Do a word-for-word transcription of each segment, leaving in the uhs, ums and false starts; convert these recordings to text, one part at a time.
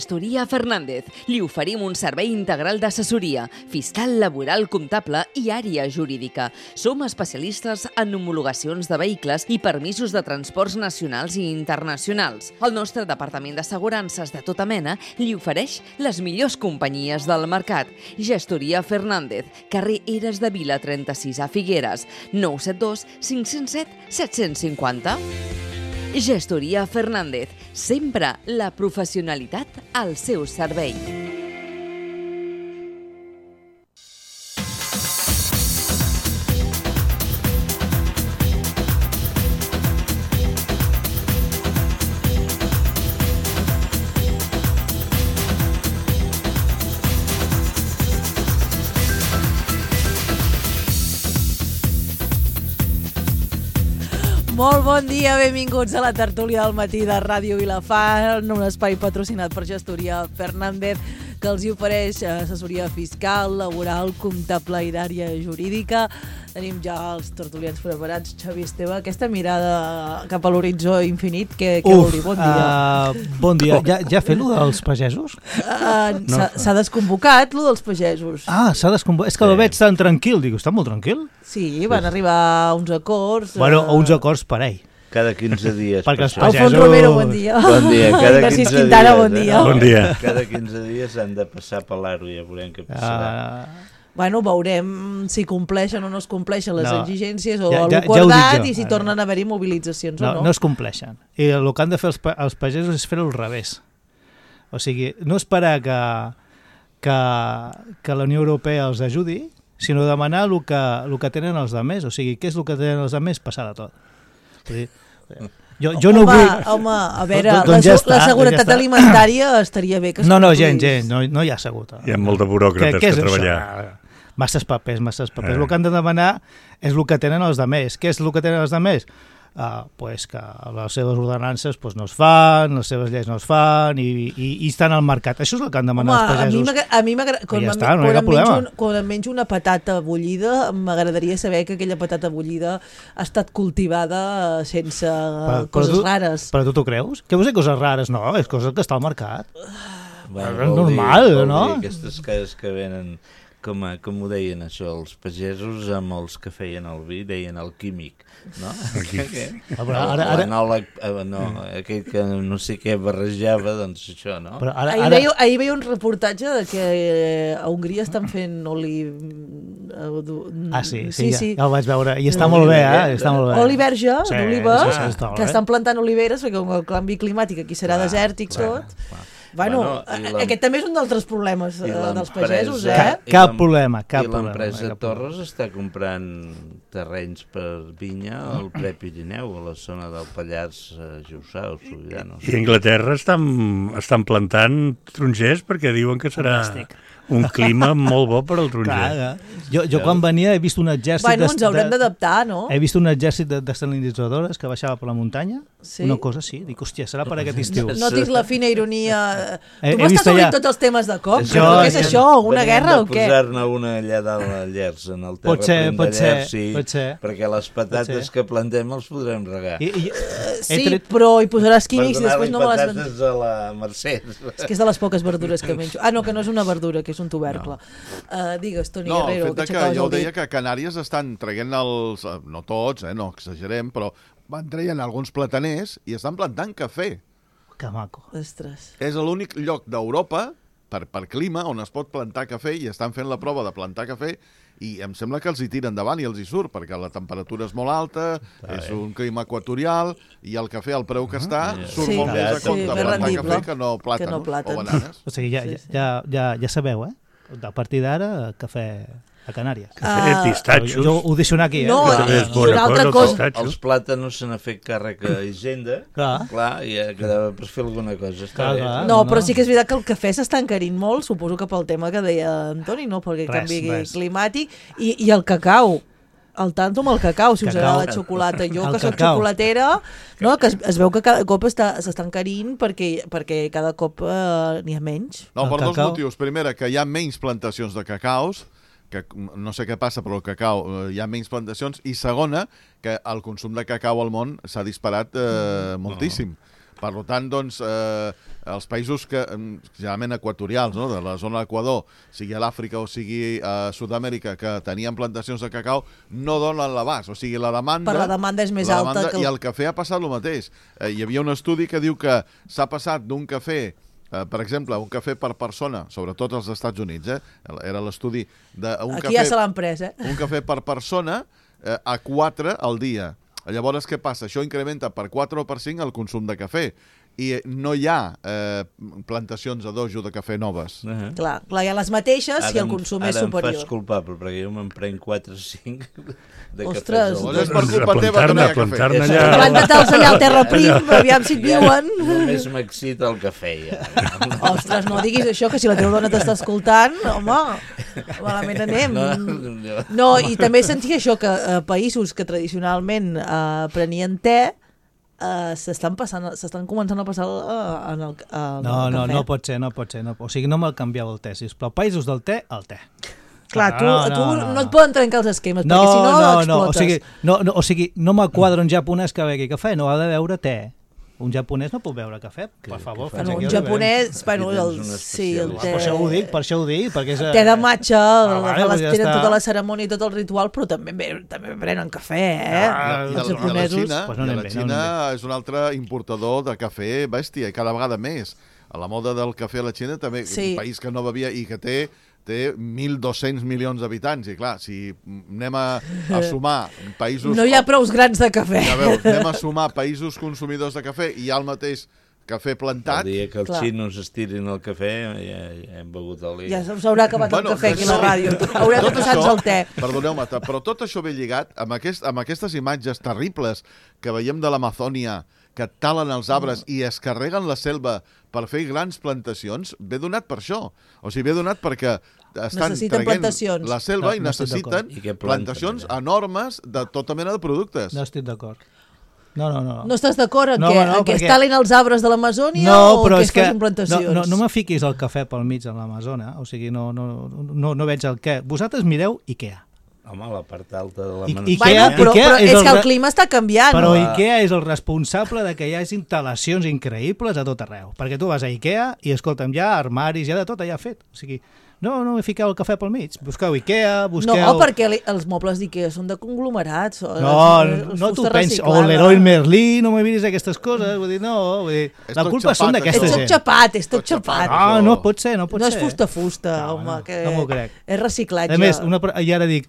Gestoria Fernández. Li oferim un servei integral d'assessoria, fiscal, laboral, comptable i àrea jurídica. Som especialistes en homologacions de vehicles i permisos de transports nacionals i internacionals. El nostre departament d'assegurances de tota mena li ofereix les millors companyies del mercat. Gestoria Fernández, carrer Eres de Vila trenta-sis a Figueres, nou set dos cinc zero set set cinc zero. Gestoria Fernández, sempre la professionalitat al seu servei. Molt bon dia, benvinguts a la tertúlia del matí de Ràdio Vilafant, un espai patrocinat per Gestoria Fernández, que els hi ofereix assessoria fiscal, laboral, comptable i d'àrea jurídica. Tenim ja els tertulians preparats. Xavi, Esteve, aquesta mirada cap a l'horitzó infinit, què, què vol dir? Bon dia. Uh, bon dia. Ja, ja ha fet lo dels pagesos? Uh, no. S'ha desconvocat, lo dels pagesos. Ah, s'ha desconvocat. És que sí. Lo veig tan tranquil. Dic, està molt tranquil? Sí, van arribar a uns acords. Bueno, a uns acords per ell. Cada quinze dies. Perquè els pagesos... Alfons Romero, bon dia. Bon dia. Cada Gràcies, quinze Quintana, dies, bon dia. Eh? Bon dia. Cada quinze dies han de passar per l'aro, ja veurem què passarà. Uh... Bueno, veurem si compleixen o no es compleixen les no. exigències o ja, ja, ja, l'acordat ja i si tornen a haver-hi mobilitzacions no, o no. No es compleixen. I el que han de fer els, els pagesos és fer-ho al revés. O sigui, no esperar que, que, que la Unió Europea els ajudi, sinó demanar el que, el que tenen els altres. O sigui, què és el que tenen els altres? Passar de tot. Vull dir, jo, jo no home, vull... home, a veure, doncs, doncs la, ja està, la seguretat doncs ja alimentària estaria bé que es No, no, complís. gent, gent, no, no hi ha assegut. Hi ha molt de buròcrates què, què que treballar. Això? Masses papers, masses papers. Eh. El que han de demanar és el que tenen els altres. Què és el que tenen els altres? Uh, pues que les seves ordenances pues, no es fan, les seves lleis no es fan i, i, i estan al mercat. Això és el que han de demanar els pagesos. Home, a mi m'agrada... Quan, ja està, no quan, hi ha em un, quan em menjo una patata bullida, m'agradaria saber que aquella patata bullida ha estat cultivada sense però, coses però tu, rares. Però tu t'ho creus? Què vols dir coses rares? No, és cosa que està al mercat. Bueno, és normal, dir, no? Dir, aquestes coses que venen... Com, a, com ho deien això, els pagesos amb els que feien el vi, deien el químic, no? L'anòleg, no, aquell que no sé què barrejava, doncs això, no? Però ara, ahir, ara... veia, ahir veia un reportatge de que a Hongria estan fent oli... Ah, sí, sí, sí, ja, sí. ja el vaig veure. I està molt bé, eh? Està molt bé. Oli verge, sí, d'oliva, sí, sí, sí, que estan plantant oliveres, perquè com el canvi climàtic aquí serà clar, desèrtic clar, tot... Clar. Bueno, bueno aquest també és un d'altres problemes eh, dels pagesos, eh? Cap, cap problema, cap I l'empresa Torres està comprant terrenys per vinya al Prepirineu, a la zona del Pallars Jussà o Sobirà. No sé. I a Anglaterra estan, estan plantant tarongers perquè diuen que serà... Fantàstic. Un clima molt bo per al taronger. Clar, jo, jo quan venia he vist un exèrcit... Bueno, ens haurem d'adaptar, no? He vist un exèrcit desalinitzadores que baixava per la muntanya, sí? Una cosa així. Dic, hòstia, serà per aquest estiu. Notis la fina ironia... He, tu m'estàs obrint tots els temes de cop? Jo, què és això? Una guerra o què? Venim de posar-ne una allà dalt al Llers, en el terraplén de Llers, sí, pot ser. Perquè les patates que plantem els podrem regar. I, i, uh, sí, tret... però hi posaràs químics i després no me les... Per donar-li patates a la Mercè. És que és de les poques verdures que menjo. Ah, no, que no és una verdura, que és un tubercle. No. Uh, digues, Toni no, Guerrero, el fet que, que jo deia que a Canàries estan traient els... No tots, eh, no exagerem, però van traient alguns plataners i estan plantant cafè. Que maco. Ostres. És l'únic lloc d'Europa, per, per clima, on es pot plantar cafè i estan fent la prova de plantar cafè i em sembla que els hi tira endavant i els hi surt, perquè la temperatura és molt alta, ah, és un clima equatorial i el cafè, al preu que està, uh -huh. surt sí, molt més a compte sí, plantar cafè que no plàtans, que no plàtans. O bananes. O sigui, ja, ja, ja, ja, ja sabeu, eh? A partir d'ara, cafè a Canàries. Cafè, uh, pistatxos. Jo ho deixo anar aquí, eh? No, clar. i, i una altra cosa... Els, els plàtanos se n'ha fet càrrec a Hisenda, clar, clar i ja quedava per fer alguna cosa. Està clar, clar, no, però sí que és veritat que el cafè s'està encarint molt, suposo que pel tema que deia Antoni, no? Perquè res, canvi res. climàtic, i, i el cacau. El tanto amb el cacau, si us cacau, agrada la xocolata. Jo, que soc xocolatera, no, que es, es veu que cada cop s'està encarint perquè, perquè cada cop eh, n'hi ha menys. No, per dos motius. Primera, que hi ha menys plantacions de cacaus, que no sé què passa, però el cacau eh, hi ha menys plantacions. I segona, que el consum de cacau al món s'ha disparat eh, moltíssim. Per tant, doncs, eh, els països que, generalment equatorials, no? de la zona d'Equador, sigui a l'Àfrica o sigui a Sud-amèrica, que tenien plantacions de cacau, no donen l'abast. O sigui, la demanda... Per la demanda és més la alta demanda, que... I el cafè ha passat el mateix. Eh, hi havia un estudi que diu que s'ha passat d'un cafè, eh, per exemple, un cafè per persona, sobretot als Estats Units, eh? era l'estudi d'un Aquí cafè... ja se l'han pres, eh? Un cafè per persona eh, a quatre al dia. Llavors, què passa? Això incrementa per quatre o per cinc el consum de cafè. I no hi ha eh, plantacions a dojo de cafè noves. Uh -huh. Clar, clar, hi ha les mateixes Ara i el em- consum és Ara em superior. fas culpable, perquè jo me'n prenc quatre o cinc de Ostres, cafès. al doncs és dia. per culpa teva que no hi ha cafè. Plantar-ne És- allà. Planta-te'ls allà al terra prim, aviam si et viuen. Només m'excita el cafè, ja. Ostres, no diguis això, que si la teva dona t'està escoltant, home, malament anem. No, no. No, i també sentia això, que eh, països que tradicionalment eh, prenien te, eh, s'estan passant, s'estan començant a passar eh, en el, en No, el no, cafè. no pot ser, no pot ser. No, o sigui, no me'l canvieu el te, sisplau. Països del te, el te. Clar, tu, No, no, no, tu no, no, no et no. poden trencar els esquemes, No, perquè si no, no, no, explotes. o sigui, no, no, o sigui, no m'aquadra un japonès que begui cafè, no ha de beure te. Un japonès no pot beure cafè, per favor. que fins Bueno, aquí un arribem. japonès, bueno, Aquí tens el, un sí, el especialista. te... Per això ho dic, per això ho dic, perquè és... Té de matxa, Ah, vale, les doncs ja tenen està. tota la cerimònia i tot el ritual, però també be- també prenen cafè, eh? Ah, I, els el, i la japonesos... Xina, Pues no i anem la bé, no Xina anem és un altre importador de cafè bèstia, i cada vegada més. A la moda del cafè a la Xina també, Sí. un país que no bevia i que té té mil dos-cents milions d'habitants, i clar, si anem a, a sumar països... No hi ha prous grans de cafè. Ja veus, anem a sumar països consumidors de cafè i hi ha el mateix cafè plantat... El dia que els Clar. xinos estirin el cafè, ja, ja hem begut el Ja dia. s'haurà acabat el cafè aquí a la ràdio. Haurem de passar-nos el te. Perdoneu-me, ta- però tot això ve lligat amb, aquest, amb aquestes imatges terribles que veiem de l'Amazònia, que talen els arbres i es carreguen la selva per fer grans plantacions, ve donat per això. O sigui, ve donat perquè estan Necessiten traient plantacions. la selva No, i no estic necessiten d'acord. I què planten, plantacions allà? enormes de tota mena de productes. No estic d'acord. No, no, no. No estàs d'acord en No, què? no, En què es perquè- talin els arbres de l'Amazònia No, o però que és es que facin no, plantacions? no, no me fiquis el cafè pel mig en l'Amazona, o sigui, no, no, no, no veig el què. Vosaltres mireu Ikea. Home, la part alta de la I- Manzana. Bueno, Ikea- però, Ikea però és és el que el re- clima està canviant. Però no? Ikea és el responsable de que hi hagi instal·lacions increïbles a tot arreu. Perquè tu vas a Ikea i, escolta'm, hi ha armaris, hi ha de tot allà fet. O sigui, no, no me fiqueu el cafè pel mig. Busqueu Ikea, busqueu... No, perquè li- els mobles d'Ikea són de conglomerats. són- No, és no t'ho fusta pensis. O reciclada. l'Heroi Merlí, no me miris aquestes coses. Vull dir, no, vull dir, És la tot culpa xapat, són això. d'aquesta És tot gent. xapat, és tot Tot xapat. xapat. Ah, no pot ser, no pot No ser. és fusta-fusta, No, home, no, que no m'ho crec. és reciclatge. A més, una, pro- i ara dic,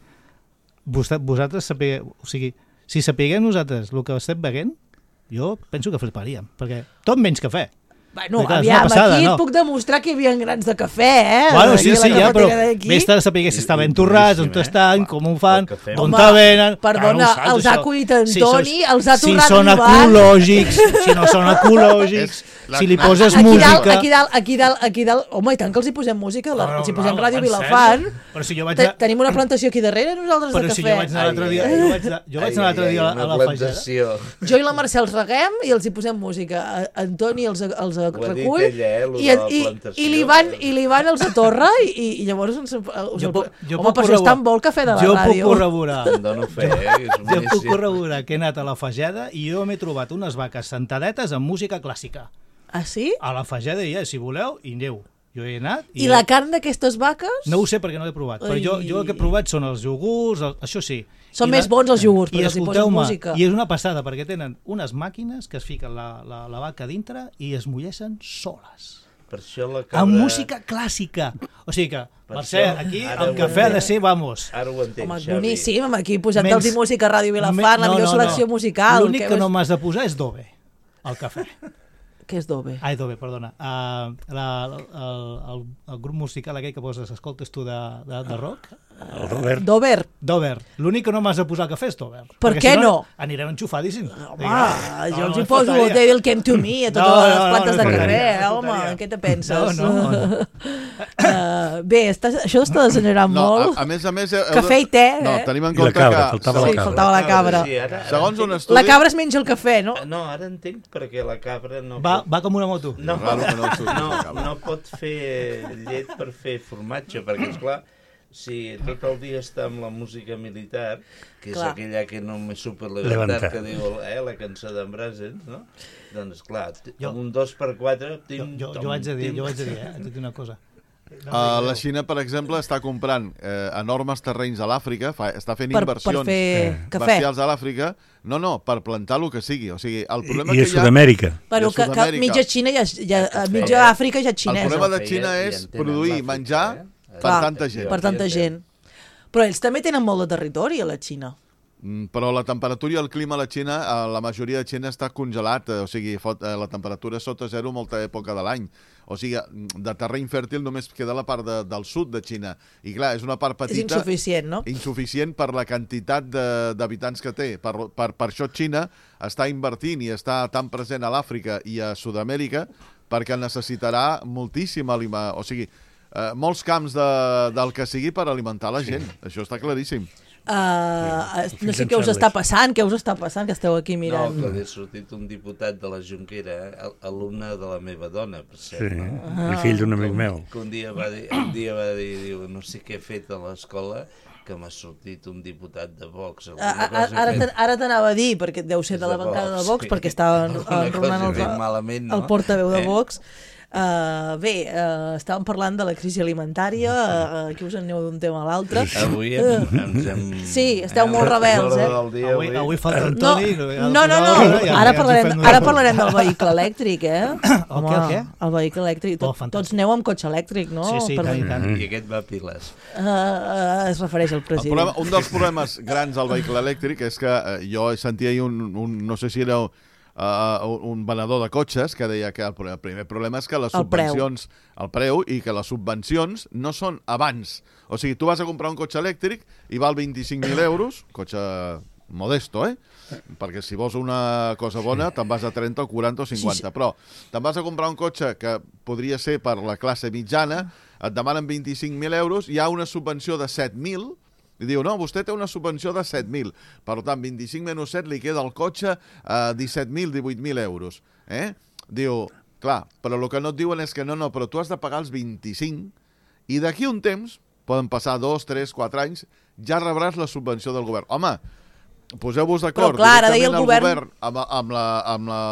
vos- vosaltres sapigueu, o sigui, si sapiguem nosaltres el que estem beguent, jo penso que fliparíem, perquè tot menys cafè. Bueno, Perquè, clar, és una aviam, passada, aquí no? et puc demostrar que hi havia grans de cafè, eh? Bueno, Aquí sí, a la sí, ja, però cafetera d'aquí. vés de saber si I- està ben i torrats, on boníssim, eh? estan, com ho fan, El cafè. on Home, te venen... perdona, Clar, no ho saps, els ha això. cuit en Si Toni, sos- els ha torrat Si són l'Ivan. ecològics, si no són ecològics, És la- si li aquí poses Aquí música... dalt, aquí dalt, aquí dalt, aquí dalt... Home, i tant que els hi posem música, la, els hi posem Ràdio en Vilafant. sèrio? Però si jo vaig Te- anar... Tenim una plantació aquí darrere, nosaltres, Però de si cafè. jo vaig anar l'altre dia, jo vaig anar, jo vaig anar l'altre dia a la, a la fageda. Jo i la Mercè els reguem i els hi posem música. A- En Toni els, els Ho ha dit recull ella, eh, lo i, de la i, plantació. i l'Ivan i l'Ivan els atorra i, i llavors ens, us Jo el, puc- jo home, puc per això és corroborar- tan bo el cafè de la Jo puc ràdio. corroborar. Em dono fe, eh? que És Jo puc boníssim. corroborar que he anat a la fageda i jo m'he trobat unes vaques sentadetes amb música clàssica. Ah, sí? A la fageda hi ha, si voleu, i aneu. Jo he anat... I la carn d'aquestes vaques? No ho sé perquè no l'he provat, però jo, jo el que he provat són els iogurts, el, això sí. Són I més bons els iogurts, I perquè els hi posen escolteu-me, música. i és una passada, perquè tenen unes màquines que es fiquen la, la, la vaca dintre i es mulleixen soles. Per això la cabra... Amb música clàssica. O sigui que, Per Mercè, això, aquí ara el ho cafè ha de entenc. ser, vamos... Ara ho entenc, Home, Xavi. boníssim, aquí posant-los Menys- música a Ràdio Vilafant, la No, millor no, selecció no. musical. L'únic Què que no vas- m'has de posar és Dove, el cafè. Què és Dove? Ai, Dove, perdona. Uh, la, el, el, el grup musical aquell que poses, escoltes tu de, de, de rock? El Robert. Dover. Dover. L'únic que no m'has de posar al cafè és Dover. Per Perquè què si no? Anirem enxufadíssims. Home, jo els hi poso Devil Came to Me a totes No, no, les no, plantes no de faltaria, cafè, no home, faltaria. què te penses? No, no, no. Uh, bé, estàs, això està degenerant No, molt. a, a més a més... heu de- Cafè i te, No, eh? tenim en I la compte cabra, que... faltava Sí, la cabra. faltava la cabra. Sí, ara, ara Segons un entenc- estudi... La cabra es menja el cafè, no? No, ara entenc perquè la cabra no... Va, pot... va com una moto. No, Raro que no el surti no, la cabra. no pot fer llet per fer formatge, perquè, esclar, si tot el dia està amb la música militar, que és Clar. aquella que no me super Levantar. levantar, que diu eh, la cançó d'en Brazen, no? Doncs clar, t- Jo- amb un dos per quatre... Jo, Tim, jo, tom, jo haig de dir, tim. jo haig de dir, eh? Haig de dir una cosa. Uh, la Xina, per exemple, està comprant eh, enormes terrenys a l'Àfrica, fa, està fent Per, per inversions fer cafè. bestials a l'Àfrica, no, no, per plantar el que sigui. O sigui, el problema I que a hi ha... Sud-amèrica. Bueno, I a que, que Sud-amèrica. mitja Xina ja, ja Cafè. mitja Àfrica ja és El xinesa. problema de Feia- Xina ja és en tenen produir l'Àfrica, menjar eh? per Clar, tanta gent. Per tanta gent. Però ells també tenen molt de territori, a la Xina. Mm, Però la temperatura i el clima a la Xina, a la majoria de Xina està congelat, eh, o sigui, fot, eh, la temperatura és sota zero molta època de l'any. O sigui, de terreny fèrtil només queda la part de, del sud de Xina. I clar, és una part És petita... insuficient, no? insuficient per la quantitat de- d'habitants que té. Per, per, per això Xina està invertint i està tan present a l'Àfrica i a Sud-amèrica perquè necessitarà moltíssim aliment, o sigui, eh, molts camps de, del que sigui per alimentar la gent. Això està claríssim. Uh, no sé en què us Charles. està passant, què us està passant, que esteu aquí No, mirant. que ha sortit un diputat de la Junquera, eh, al- alumne de la meva dona, per Sí, cert. No? Ah. el fill d'un amic meu. Que un dia va dir, un dia va dir, diu, no sé què he fet a l'escola, que m'ha sortit un diputat de Vox. A, alguna a, cosa he ara fet. te- ara t'anava a dir, perquè deu ser de la De bancada de Vox, Vox, sí. perquè estava Alguna enronant cosa he fet el, malament, no? el portaveu de Eh? Vox. Uh, bé, uh, estàvem parlant de la crisi alimentària, uh, aquí us en aneu d'un tema a l'altre. Avui em, ens hem... Sí, esteu molt rebels, eh? Del dia, Avui, avui falta en No, Toni. no, no, no. Ara parlarem, ara parlarem del vehicle elèctric, eh? El què, el què? El vehicle elèctric. Oh, Tot, fantàstic. tots aneu amb cotxe elèctric, no? Sí, sí, Per- tant i tant. I aquest va a piles. Uh, uh, es refereix al El president. problema, un dels problemes grans al vehicle elèctric és que eh, jo sentia ahir un, un, no sé si era uh, un venedor de cotxes que deia que el, el primer problema és que les El preu. subvencions, el preu, i que les subvencions no són abans. O sigui, tu vas a comprar un cotxe elèctric i val vint-i-cinc mil euros, cotxe modesto, eh? Perquè si vols una cosa bona te'n vas a trenta o quaranta o cinquanta, Sí, sí. però te'n vas a comprar un cotxe que podria ser per la classe mitjana, et demanen vint-i-cinc mil euros, hi ha una subvenció de set mil, i diu, no, vostè té una subvenció de set mil, per tant, vint-i-cinc menys set li queda al cotxe a disset mil, divuit mil euros. Eh? Diu, clar, però el que no et diuen és que no, no, però tu has de pagar els vint-i-cinc i d'aquí un temps, poden passar dos, tres, quatre anys, ja rebràs la subvenció del govern. Home, poseu-vos d'acord Però clar, ara deia el directament govern- govern amb, amb, la, amb, la,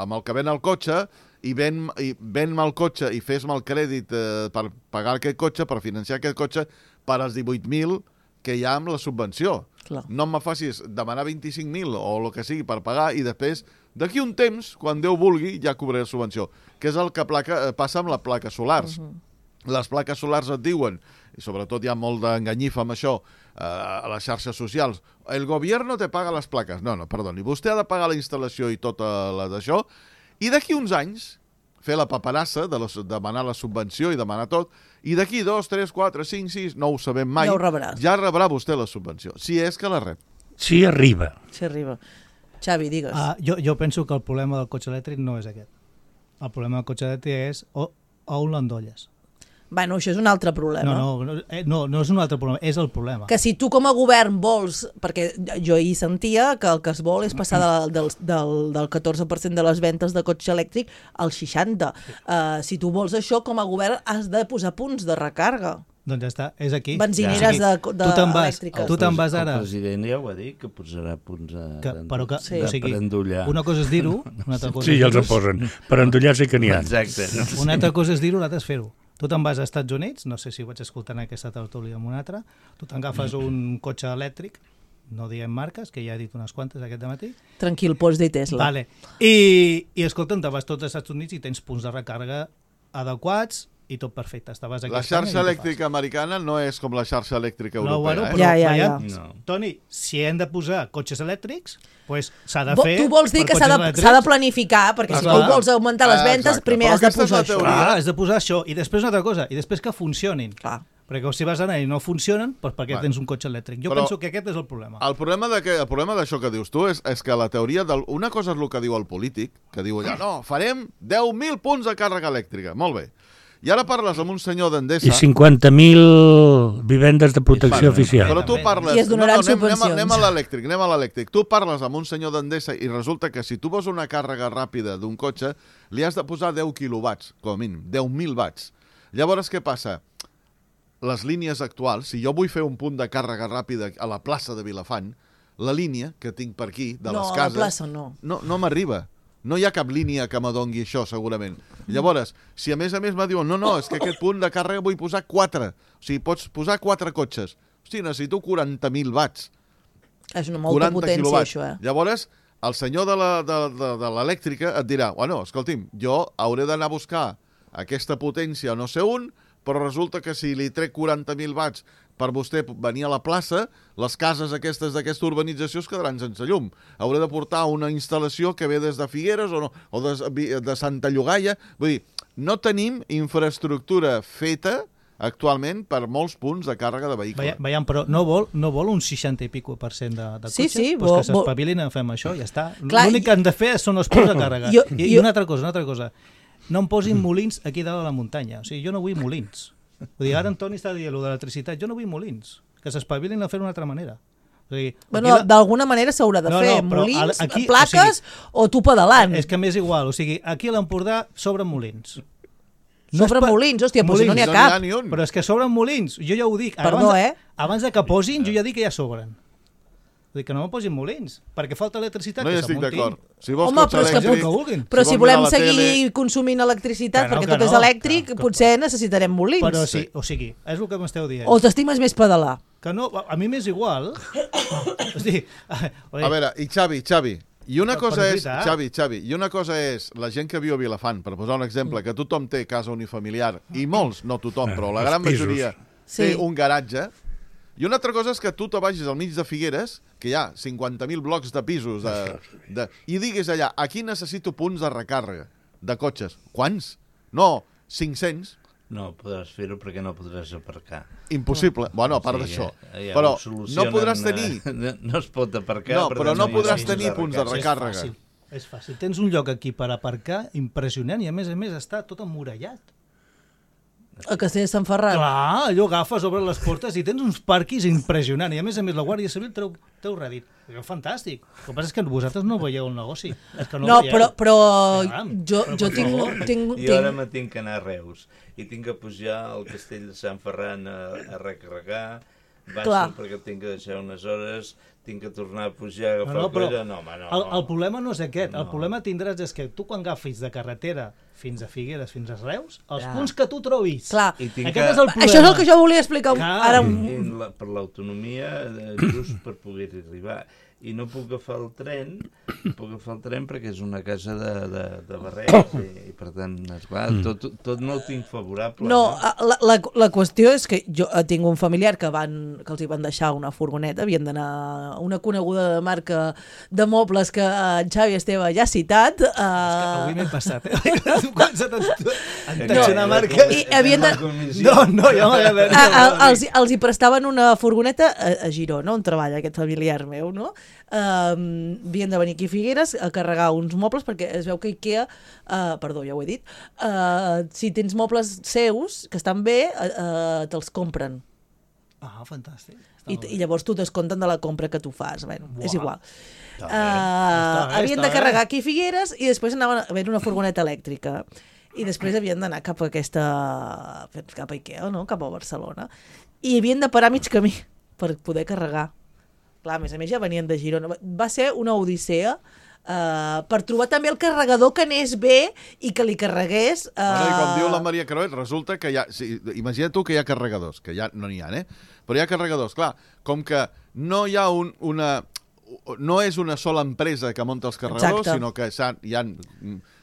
amb el que ven el cotxe i ven, i ven-me el cotxe i fes-me el crèdit eh, per pagar aquest cotxe, per financiar aquest cotxe, per als divuit mil que hi ha amb la subvenció. Clar. No em facis demanar vint-i-cinc mil o el que sigui per pagar i després, d'aquí un temps, quan Déu vulgui, ja cobraré la subvenció. Que és el que placa, eh, passa amb les plaques solars. Uh -huh. Les plaques solars et diuen, i sobretot hi ha molt d'enganyifa amb això, eh, a les xarxes socials, el gobierno te paga les plaques. No, no, perdoni, vostè ha de pagar la instal·lació i tota la d'això, i d'aquí uns anys fer la paperassa de la, demanar la subvenció i demanar tot, i d'aquí dos, tres, quatre, cinc, sis, no ho sabem mai, Ja ho rebràs. ja rebrà vostè la subvenció, si és que la rep. Sí, arriba. Si arriba. Xavi, digues. Uh, jo, jo penso que el problema del cotxe elèctric no és aquest. El problema del cotxe elèctric és o, on l'endolles. Bueno, això és un altre problema. No, no, no, eh, no, no és un altre problema, és el problema. Que si tu com a govern vols, perquè jo hi sentia que el que es vol és passar de, del, del, del catorze per cent de les ventes de cotxe elèctric al seixanta per cent. Uh, si tu vols això, com a govern has de posar punts de recàrrega. Doncs ja està, és aquí. Benzineres Ja. de, de tu te'n vas, elèctriques. tu te'n vas ara... El president ja ho ha dit, que posarà punts a, Que, però que, Sí. o sigui, per endollar. una cosa és dir-ho, una altra cosa Sí, ja és els en dir-ho, posen. Per endollar sí que n'hi ha. Exacte. una altra cosa és dir-ho, l'altra és fer-ho. Tu te'n vas als Estats Units, no sé si ho vaig escoltar en aquesta tertúlia amb un altre, tu t'agafes un cotxe elèctric, no diem marques, que ja he dit unes quantes aquest matí, Tranquil, pots dir Tesla. vale. I, i escolta'm, te'n vas tots als Estats Units i tens punts de recàrrega adequats i tot perfecte. Estaves aquí La a Espanya xarxa i ho elèctrica americana no és com la xarxa elèctrica No, europea. bueno, eh? però Ja, ja, veiem, ja. No. Toni, si hem de posar cotxes elèctrics, pues s'ha de Vo- fer... Tu vols dir per que s'ha cotxes de, elèctrics. s'ha de planificar, perquè si Clar. tu vols augmentar les Ah, ventes, exacte. primer Però has de aquesta és posar la això. teoria. Clar, has de posar això. I després una altra cosa, i després que funcionin. Clar. Perquè si vas anar i no funcionen, doncs perquè Vale. tens un cotxe elèctric. Jo Però- penso que aquest és el problema. El problema de que, el problema d'això que dius tu és, és que la teoria del, una cosa és el que diu el polític, que diu allà, no, farem deu mil punts de càrrega elèctrica. Molt bé. I ara parles amb un senyor d'Endesa... I cinquanta mil vivendes de protecció Vale, oficial. Però tu parles... I es donaran no, no, anem, anem, a- subvencions. anem a l'elèctric, anem a l'elèctric. Tu parles amb un senyor d'Endesa i resulta que si tu vols una càrrega ràpida d'un cotxe, li has de posar deu quilowatts, com a mínim, deu mil watts. Llavors, què passa? les línies actuals, si jo vull fer un punt de càrrega ràpida a la plaça de Vilafant, la línia que tinc per aquí, de no, les cases... No, a la plaça no. No, no m'arriba. No hi ha cap línia que m'adongui això, segurament. Llavors, si a més a més me diuen no, no, és que aquest punt de càrrega vull posar quatre. O sigui, pots posar quatre cotxes. Hosti, necessito quaranta mil watts. És una molta potència, quilowatts. això, eh? Llavors, el senyor de la- de- de- de l'elèctrica et dirà, bueno, escolti'm, jo hauré d'anar a buscar aquesta potència no sé on, però resulta que si li trec quaranta mil watts per vostè venir a la plaça, les cases aquestes d'aquesta urbanització es quedaran sense llum. Hauré de portar una instal·lació que ve des de Figueres o, no, o de, de Santa Llogaia. Vull dir, no tenim infraestructura feta actualment per molts punts de càrrega de vehicle. Veiem, veiem, però no vol, no vol un seixanta i pico per cent de, de Sí, cotxes? sí, Pues vol- que s'espavilin i fem això, ja està. Clar, L'únic que han de fer són els punts de càrrega. Jo- I, I jo- una altra cosa, una altra cosa. No em posin molins aquí dalt a la muntanya. O sigui, jo no vull molins. Vull dir, ara en Toni està dient allò de l'electricitat. Jo no vull molins. Que s'espavilin a fer d'una altra manera. O sigui, Bueno, aquí la- d'alguna manera s'haurà de No, fer no, però molins, al- aquí, plaques o, tu pedalant. És que m'és igual. O sigui, aquí a l'Empordà sobren molins. Sobre és pa- molins, hòstia, doncs si no n'hi ha No cap. n'hi ha ni un. Però és que sobren molins. Jo ja ho dic. Perdó, abans, eh? Abans de que posin, jo ja dic que ja sobren. Vull dir que no me posin molins, perquè falta electricitat. No hi que estic s'amuntin. d'acord. Si vols Home, cotxe però és que elèctric, pot- vulguin. Però si vols volem mirar la seguir tele- consumint electricitat, Que no, perquè que tot és no, elèctric, que- que- potser necessitarem molins. Però sí, o sigui, és el que m'esteu dient. O t'estimes més pedalar. Que no, a mi m'és igual. O sigui, A veure, i Xavi, Xavi, i una Però- cosa però és és, veritat. Xavi, Xavi, i una cosa és la gent que viu a Vilafant, per posar un exemple, que tothom té casa unifamiliar, i molts, no tothom, però la Els gran pisos. majoria Sí. té un garatge, i una altra cosa és que tu te vagis al mig de Figueres, que hi ha cinquanta mil blocs de pisos, de, de, i diguis allà, aquí necessito punts de recàrrega de cotxes. Quants? No, cinc-cents. No podràs fer-ho perquè no podràs aparcar. Impossible. Bueno, a part O sigui, d'això. ja Però ho solucionen, no podràs eh, tenir... No, no es pot aparcar. No, per però tant, no hi ha podràs punts tenir punts de recàrrega. recàrrega. És fàcil, és fàcil. Tens un lloc aquí per aparcar impressionant i a més a més està tot emmurallat. A Castell de Sant Ferran. Clar, allò agafes, obres les portes i tens uns parquis impressionants i a més a més la Guàrdia Civil treu, treu rèdit. És fantàstic. El que passa és que vosaltres no veieu el negoci. És que no, No, el veieu. però, però Caram, jo, però jo per tinc, favor. tinc, I ara tinc... me tinc que anar a Reus i tinc que pujar al castell de Sant Ferran a, a recarregar, baixo Clar. perquè tinc que deixar unes hores, tinc que tornar a pujar, agafar No, no, el però cotxe, no, home, no. el, el problema no és aquest. El No. problema tindràs és que tu quan agafis de carretera fins a Figueres, fins a Reus, els Clar. punts que tu trobis. Clar. I tinc Aquest que... és el problema. Això és el que jo volia explicar Clar. ara. I la, per l'autonomia, eh, just per poder-hi arribar. I no puc agafar el tren, no puc agafar el tren perquè és una casa de, de, de barrets i, i per tant, esclar, Mm. tot, tot no ho tinc favorable. No, la, la, la qüestió és que jo eh, tinc un familiar que, van, que els hi van deixar una furgoneta, havien d'anar a una coneguda de marca de mobles que eh, en Xavi Esteve ja ha citat. És que Eh, avui m'he passat, eh? Tu començat a Eh, entensionar no, marques. I havien de- No, no, jo m'he de... a, a, els, els hi prestaven una furgoneta a, a Girona, on treballa aquest familiar meu, no? Um, havien de venir aquí a Figueres a carregar uns mobles perquè es veu que Ikea, uh, perdó, ja ho he dit, uh, si tens mobles seus que estan bé, uh, uh, te'ls compren. Ah, fantàstic. Està I, molt bé. i llavors tu descompten de la compra que tu fas. Bueno, Buah. és igual. Uh, Està bé, havien està de carregar bé. aquí a Figueres i després anaven a veure una furgoneta elèctrica. I després havien d'anar cap a aquesta... cap a Ikea, no? Cap a Barcelona. I havien de parar mig camí per poder carregar. Clar, a més a més ja venien de Girona. Va ser una odissea uh, per trobar també el carregador que anés bé i que li carregués... Uh... Bueno, i com diu la Maria Croet, resulta que hi ha... Sí, imagina't tu que hi ha carregadors, que ja no n'hi ha, eh? Però hi ha carregadors, clar, com que no hi ha un, una... No és una sola empresa que munta els carregadors, Exacte. sinó que hi ha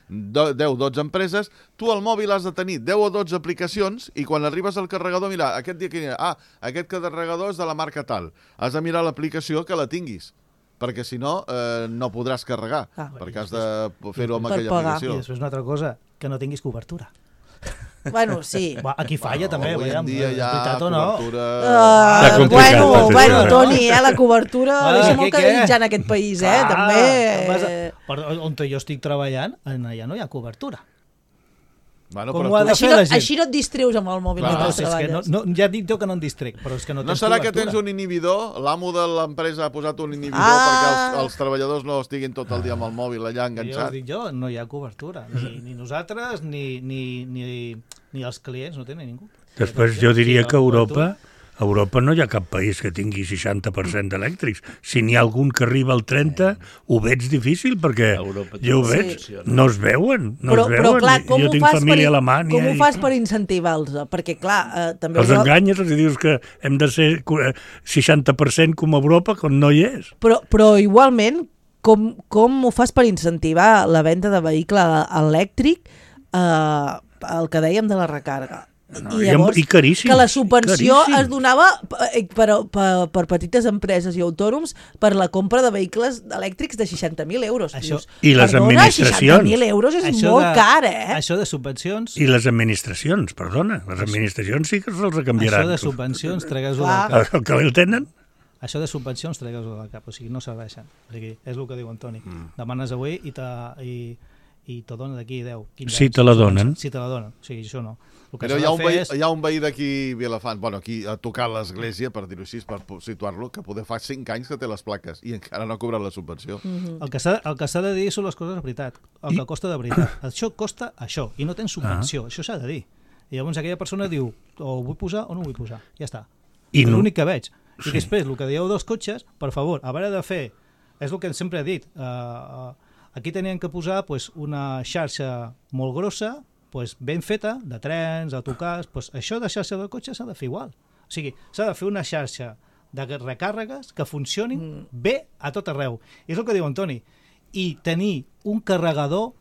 deu o dotze empreses, tu al mòbil has de tenir deu o dotze aplicacions i quan arribes al carregador, mira, aquest dia que hi ha, ah, aquest carregador és de la marca tal. Has de mirar l'aplicació que la tinguis, perquè si no, eh, no podràs carregar, Ah. perquè has de fer-ho amb Per aquella pagar. I aplicació. després una altra cosa, que no tinguis cobertura. Bueno, sí. Va, aquí falla també, Avui en veiem, dia és hi ha veritat o no? cobertura... Uh, complicat, bueno, és bueno, això, eh? Toni, eh, la cobertura Ah, deixa què, molt que què? desitjar en aquest país, eh? Ah, També... vas a- Per on jo estic treballant, allà no hi ha cobertura. Bueno, Com però ho ha tu- de Així fer no, la gent? així no et distreues amb el mòbil Clar, mentre Entonces, és que no, treballes. no, ja dic jo que no em distrec, però és que no No tens serà que cobertura. tens un inhibidor? L'amo de l'empresa ha posat un inhibidor Ah. perquè els, els treballadors no estiguin tot el dia amb el mòbil allà Jo enganxat? us dic jo, no hi ha cobertura. Ni, ni nosaltres, ni, ni, ni, ni els clients, no tenen ningú. Després jo diria que a Europa, a Europa no hi ha cap país que tingui seixanta per cent d'elèctrics. Si n'hi ha algun que arriba al trenta, ho veig difícil, perquè jo ho veig, no es veuen, no però, es veuen. Però, clar, com jo ho tinc fas família per, a Alemanya. Com ho i... fas per incentivar-los? Perquè, clar, eh, també... Els enganyes, els dius que hem de ser seixanta per cent com a Europa, quan no hi és. Però, però igualment, com, com ho fas per incentivar la venda de vehicle elèctric, eh, el que dèiem de la recàrrega? No, I llavors, i caríssim, que la subvenció caríssim. es donava per, per, per, per petites empreses i autònoms per la compra de vehicles elèctrics de seixanta mil euros. Això, Dius, I les perdona, administracions. seixanta mil euros és això molt de, car, eh? Això de subvencions... I les administracions, perdona, les administracions sí que se'ls canviaran. Això de subvencions, tregues-ho Clar. del cap. El que el tenen? Això de subvencions, tregues-ho del cap. O sigui, no serveixen. O sigui, és el que diu Antoni. Mm. Demanes avui i te, i, i te donen d'aquí deu, quinze Si anys. te la donen. Si te la donen. O sigui, això no. El que Però s'ha hi ha, de un fer veí, és... hi ha un veí d'aquí Vilafant, bueno, aquí a tocar l'església, per dir-ho així, per situar-lo, que poder fa cinc anys que té les plaques i encara no ha cobrat la subvenció. Mm -hmm. El que s'ha el que s'ha de dir són les coses de veritat, el I... que costa de veritat. Això costa això, i no tens subvenció, ah. això s'ha de dir. I llavors aquella persona diu, o ho vull posar o no ho vull posar, ja està. I és no... l'únic que veig. I Sí. després, el que dieu dels cotxes, per favor, a veure de fer, és el que sempre he dit, uh, aquí tenien que posar pues, una xarxa molt grossa, pues, ben feta, de trens, autocars, pues, això de xarxa de cotxes s'ha de fer igual. O sigui, s'ha de fer una xarxa de recàrregues que funcionin mm. bé a tot arreu. I és el que diu Antoni. I tenir un carregador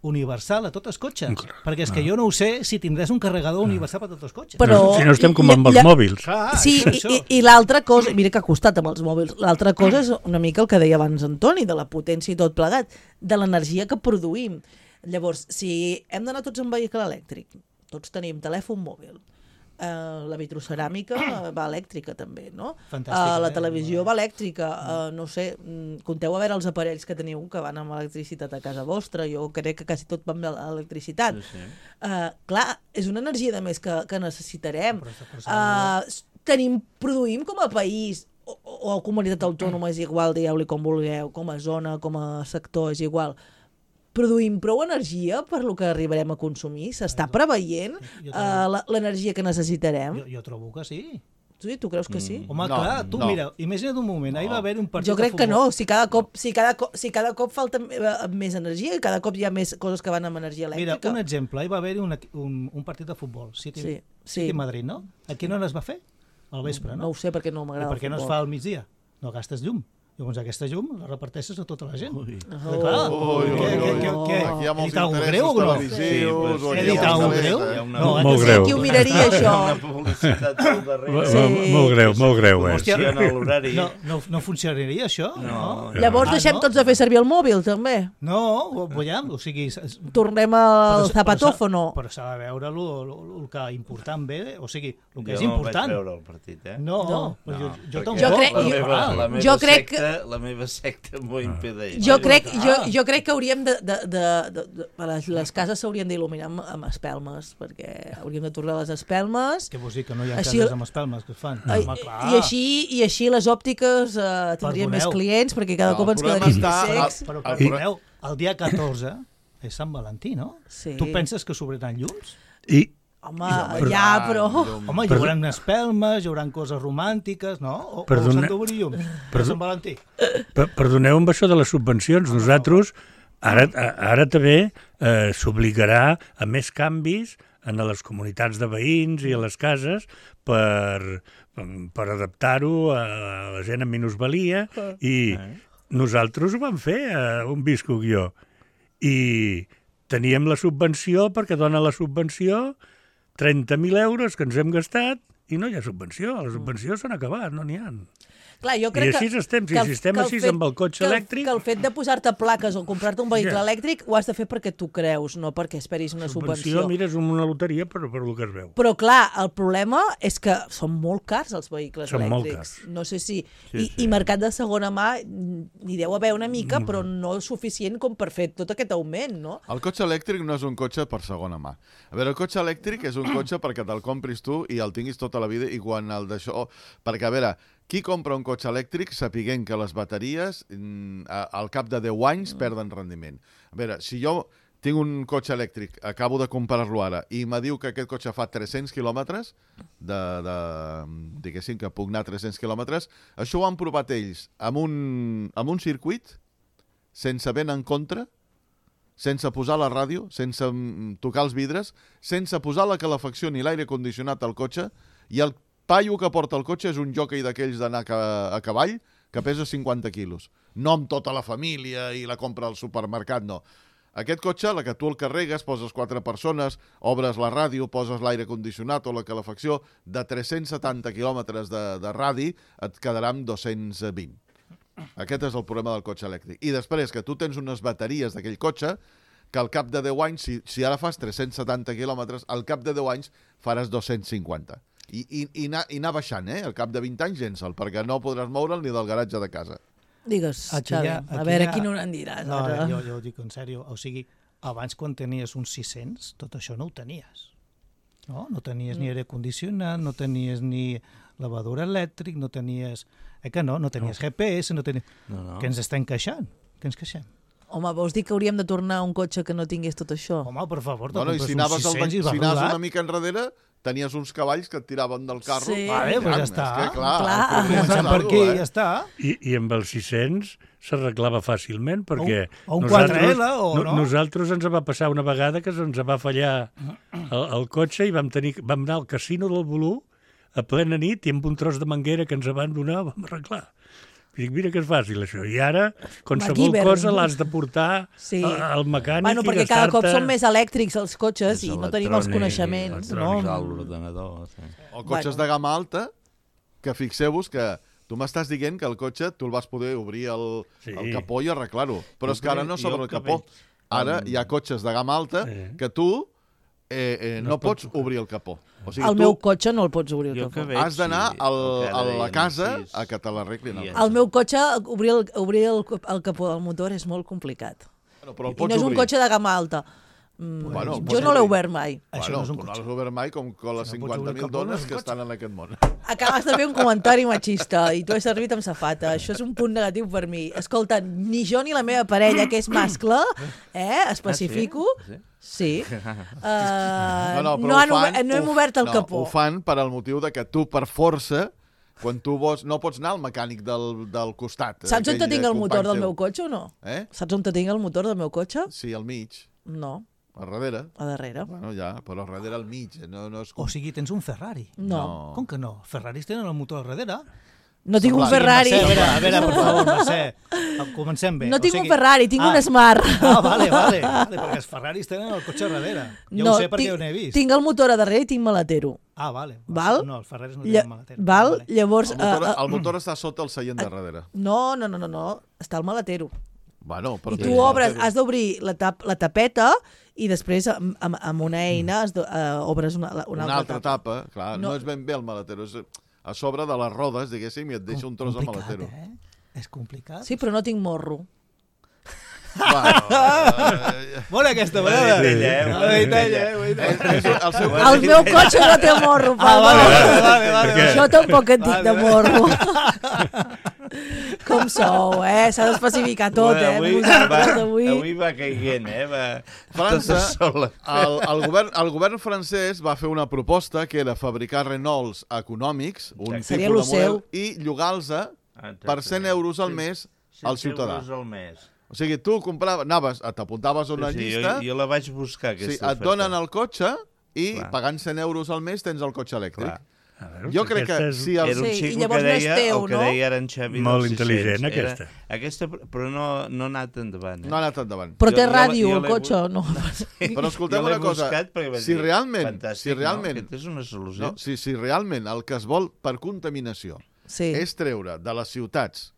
universal a tots els cotxes. Clar, perquè és que jo no ho sé si tindràs un carregador universal per tots els cotxes. Però, si no estem com amb els lla- mòbils. Clar, Sí, és i, això. i, i l'altra cosa, mira que ha costat amb els mòbils, l'altra cosa és una mica el que deia abans Antoni, de la potència i tot plegat, de l'energia que produïm. Llavors, si hem d'anar tots en vehicle elèctric, tots tenim telèfon mòbil, Uh, la vitroceràmica va elèctrica també, no? Fantàstica, Uh, la eh? televisió va elèctrica, uh, no sé, mm, compteu a veure els aparells que teniu que van amb electricitat a casa vostra, jo crec que quasi tot va amb l'electricitat. Sí, sí. Uh, clar, és una energia de més que, que necessitarem. Però està forçada, Uh, tenim, produïm com a país, o, o a comunitat autònoma és igual, dieu-li com vulgueu, com a zona, com a sector, és igual. Produïm prou energia per lo que arribarem a consumir? S'està preveient Jo- jo uh, l'energia que necessitarem? Jo, jo trobo que sí. Sí, tu creus que sí? Home, No, clar, tu no. mira, imagina't un moment, ahir va haver un partit Jo crec de que futbol. no, si cada cop, si cada cop, si cada cop falta eh, més energia i cada cop hi ha més coses que van amb energia Mira, elèctrica. un exemple, ahir va haver un, un, un partit de futbol, City, Sí, sí. City Madrid, no? A quina hora es va fer? Al vespre, No no? ho sé perquè no I m'agrada per què el no es futbol. fa al migdia? No gastes llum. Llavors aquesta llum la reparteixes a tota la gent. Ui. Oh. Clar. Ui, ui, Què- ui, què- ui. què- Aquí hi ha he molts dit alguna interessos greu o no? televisius. Sí, o però aquí He hi dit ha alguna una greu? festa. Hi ha una- No, Molt que greu. Qui ho miraria, això? Una publicitat al darrere. Sí. Sí. Molt greu, molt greu, eh? Hòstia, Funciona l'horari. No, no, no funcionaria això? No. Llavors Ah, deixem no? tots de fer servir el mòbil, també. No, ho- veiem, o sigui... s- s- Tornem però al s- zapatófono. Però s'ha de veure el que important ve, o sigui, el que Jo és no important. vaig veure el partit, eh? No, No. però jo, jo perquè tampoc. Jo crec- la jo- meva, la meva jo crec secta, la meva secta m'ho impedeix. Jo crec, clar. jo, jo crec que hauríem de... de, de, de, de les, les cases s'haurien d'il·luminar amb, amb espelmes, perquè hauríem de tornar les espelmes. Què vols dir, que no hi ha Així- cases amb espelmes que es fan? I, Home, clar. i, així, I així les òptiques eh, tindrien més Perdoneu. clients, perquè cada No, cop el ens problema quedaríem està- més secs. Però, El- perdoneu, el dia catorze és Sant Valentí, no? Sí. Tu penses que s'obriran llums? I, Home, però- ja, però... Home, hi haurà espelmes, hi haurà coses romàntiques, no? O, Perdone- o s'han d'obrir llums per Sant Valentí? per, perdoneu amb això de les subvencions. Nosaltres, ara, ara també eh, s'obligarà a més canvis en les comunitats de veïns i a les cases per, per adaptar-ho a la gent amb minusvalia i nosaltres ho vam fer eh, on visco jo i teníem la subvenció perquè dona la subvenció trenta mil euros que ens hem gastat i no hi ha subvenció, les subvencions s'han acabat, no n'hi ha. Clar, jo I crec així que, estem, si que el- estem que el així fet- amb el cotxe que el- elèctric... Que el fet de posar-te plaques o comprar-te un vehicle Ja. elèctric ho has de fer perquè tu creus, no perquè esperis una subvenció. Mira, és una loteria per, per el que es veu. Però clar, el problema és que són molt cars els vehicles Són molt elèctrics. cars. No sé si... Sí, I, sí. I mercat de segona mà n'hi deu haver una mica, però no suficient com per fer tot aquest augment, no? El cotxe elèctric no és un cotxe per segona mà. A veure, el cotxe elèctric és un cotxe perquè te'l compris tu i el tinguis tota la vida i quan el d'això... Perquè, a veure, qui compra un cotxe elèctric sapiguent que les bateries mm, a- al cap de deu anys perden rendiment. A veure, si jo tinc un cotxe elèctric, acabo de comprar-lo ara, i me diu que aquest cotxe fa tres-cents quilòmetres, de, de, diguéssim que puc anar tres-cents quilòmetres, això ho han provat ells amb un, amb un circuit, sense vent en contra, sense posar la ràdio, sense tocar els vidres, sense posar la calefacció ni l'aire condicionat al cotxe, i el paio que porta el cotxe és un jockey d'aquells d'anar a cavall que pesa cinquanta quilos. No amb tota la família i la compra al supermercat, no. Aquest cotxe, la que tu el carregues, poses quatre persones, obres la ràdio, poses l'aire condicionat o la calefacció, de tres-cents setanta quilòmetres de, de radi et quedarà amb dos-cents vint. Aquest és el problema del cotxe elèctric. I després que tu tens unes bateries d'aquell cotxe que al cap de deu anys, si, si ara fas tres-cents setanta quilòmetres, al cap de deu anys faràs dos-cents cinquanta. I, i, i, anar, i anar baixant, eh? Al cap de vint anys llença'l, perquè no podràs moure'l ni del garatge de casa. Digues, Aquí Xavi, hi ha- a aquí veure hi ha- quin no en diràs. No, ara. jo, jo ho dic en sèrio. O sigui, abans quan tenies uns sis-cents, tot això no ho tenies. No, no tenies ni aire condicionat, no tenies ni lavadora elèctric, no tenies... Eh que no? No tenies G P S, no tenies... No, no. Què ens estem queixant? Què ens queixem? Home, vols dir que hauríem de tornar a un cotxe que no tingués tot això? Home, per favor, te Bueno, i compres si uns anaves, al, sis-cents i vas si anaves rodat. una mica enrere, tenies uns cavalls que et tiraven del carro. Sí. Vale, doncs ja Caram, està. És que, clar, Clar. corries Comencem per algo, aquí, eh? ja està. I, i amb els sis-cents s'arreglava fàcilment, perquè o un nosaltres, quatre L, o no? nosaltres ens va passar una vegada que ens va fallar el, el cotxe i vam, tenir, vam anar al casino del Volú a plena nit i amb un tros de manguera que ens van donar vam arreglar. I dic, mira que és fàcil això. I ara, qualsevol MacGyver. cosa l'has de portar Sí. a- al mecànic Bueno, i perquè cada cop gastar-te... són més elèctrics els cotxes És i no tenim els electrònic, coneixements. No? electrònic, l'ordenador, sí. O cotxes Bueno. de gamma alta, que fixeu-vos que tu m'estàs dient que el cotxe tu el vas poder obrir el, Sí. el capó i arreglar-ho. Però Jo és que ara crec- no s'obre jo el que capó. veig- Ara Um, hi ha cotxes de gamma alta Sí. que tu eh, eh, No no es pot pots obrir el capó. O sigui, El tu meu cotxe no el pots obrir el Jo capó. que veig, has d'anar sí, al, el que a ara la deien, casa sí, a que te l'arreglin. i el és- capó. El meu cotxe, obrir el, obrir el, el capó del motor és molt complicat. Bueno, però el I pots no és un obrir. cotxe de gamma alta. Mm, Bueno, el jo pots no l'he obrir. obert mai. Això Bueno, no és un tu no cotxe. l'has obert mai com, com les Si no pots cinquanta obrir mil el capó, no és dones un que cotxe. estan en aquest món. Acabes de fer un comentari machista i tu has servit amb safata. Això és un punt negatiu per mi. Escolta, ni jo ni la meva parella, que és mascle, eh, especifico, Ah, sí? sí, uh, No, no, però no, ho han, fan, ober- no hem ho- obert el no, capó. Ho fan per al motiu de que tu, per força, quan tu vols, no pots anar al mecànic del, del costat. Saps on aquell te tinc el company motor del teu. meu cotxe o no? Eh? Saps on te tinc el motor del meu cotxe? Sí, al mig, No, a darrere. a darrere. Bueno, ja, però a darrere al mig. eh, No, no és com... O sigui, tens un Ferrari. No. Com que no? Ferraris tenen el motor al darrere. No tinc un Semblant. Ferrari. Mercè, a veure, a veure, per favor, Mercè. Comencem bé. No O tinc un sigui- Ferrari, tinc ah, un Smart. Ah, vale, vale, vale, perquè els Ferraris tenen el cotxe al darrere. Jo no, ho sé perquè tinc, ho n'he vist. tinc el motor a darrere i tinc maletero. Ah, vale. Val? No, els Ferraris no Lla tenen maletero. val? Vale. Llavors... El motor, eh, eh, el motor està sota el seient de darrere. no, no, no, no, no, està al maletero. Bueno, però I tens tu obres, maletero. has d'obrir la, tap, la tapeta i després amb, amb, amb una eina has de, uh, obres una, una, Una, altra, altra tapa. tapa, clar, No. no. és ben bé el maletero, és a sobre de les rodes, diguéssim, i et deixa un tros de Complicat, maletero. Eh? És complicat. Sí, però no tinc morro. Bueno, eh, Bona aquesta Ho ha vegada. dit ella, eh? Ho ha dit ella. ho ha dit és, és el seu... El meu cotxe no té morro, Ah, Pau. vale, vale, vale, vale. Perquè- Jo tampoc et dic Vale, de vale. morro. Com sou, eh? S'ha d'especificar tot, eh? Avui, Vosaltres, va, avui... avui va caient, eh? Va, França, tota sola. el, el, govern, el govern francès va fer una proposta que era fabricar Renaults econòmics, un Exacte. Seria tipus lo de model, seu. i llogar-los per cent euros al mes al ciutadà. cent euros al mes. O sigui, tu compraves, anaves, t'apuntaves a una Sí, sí, llista, jo, jo la vaig buscar, sí, aquesta et donen el cotxe i Clar. pagant cent euros al mes tens el cotxe elèctric. Clar. A veure, Jo crec que aquesta és si el... Era un Sí, i xico llavors que no és deia teu, el que no? deia ara en Xavi Molt dels intel·ligent, sis-cents. aquesta. Era, aquesta, però no, no ha anat endavant. Eh? No ha anat endavant. Però Jo- té jo la- ràdio, jo el l'he cotxe, bu- no? Però escolteu Jo l'he una cosa, buscat perquè vaig si dir, realment, fantàstic, si realment, no? Aquesta és una solució. no, si, si realment el que es vol per contaminació Sí. és treure de les ciutats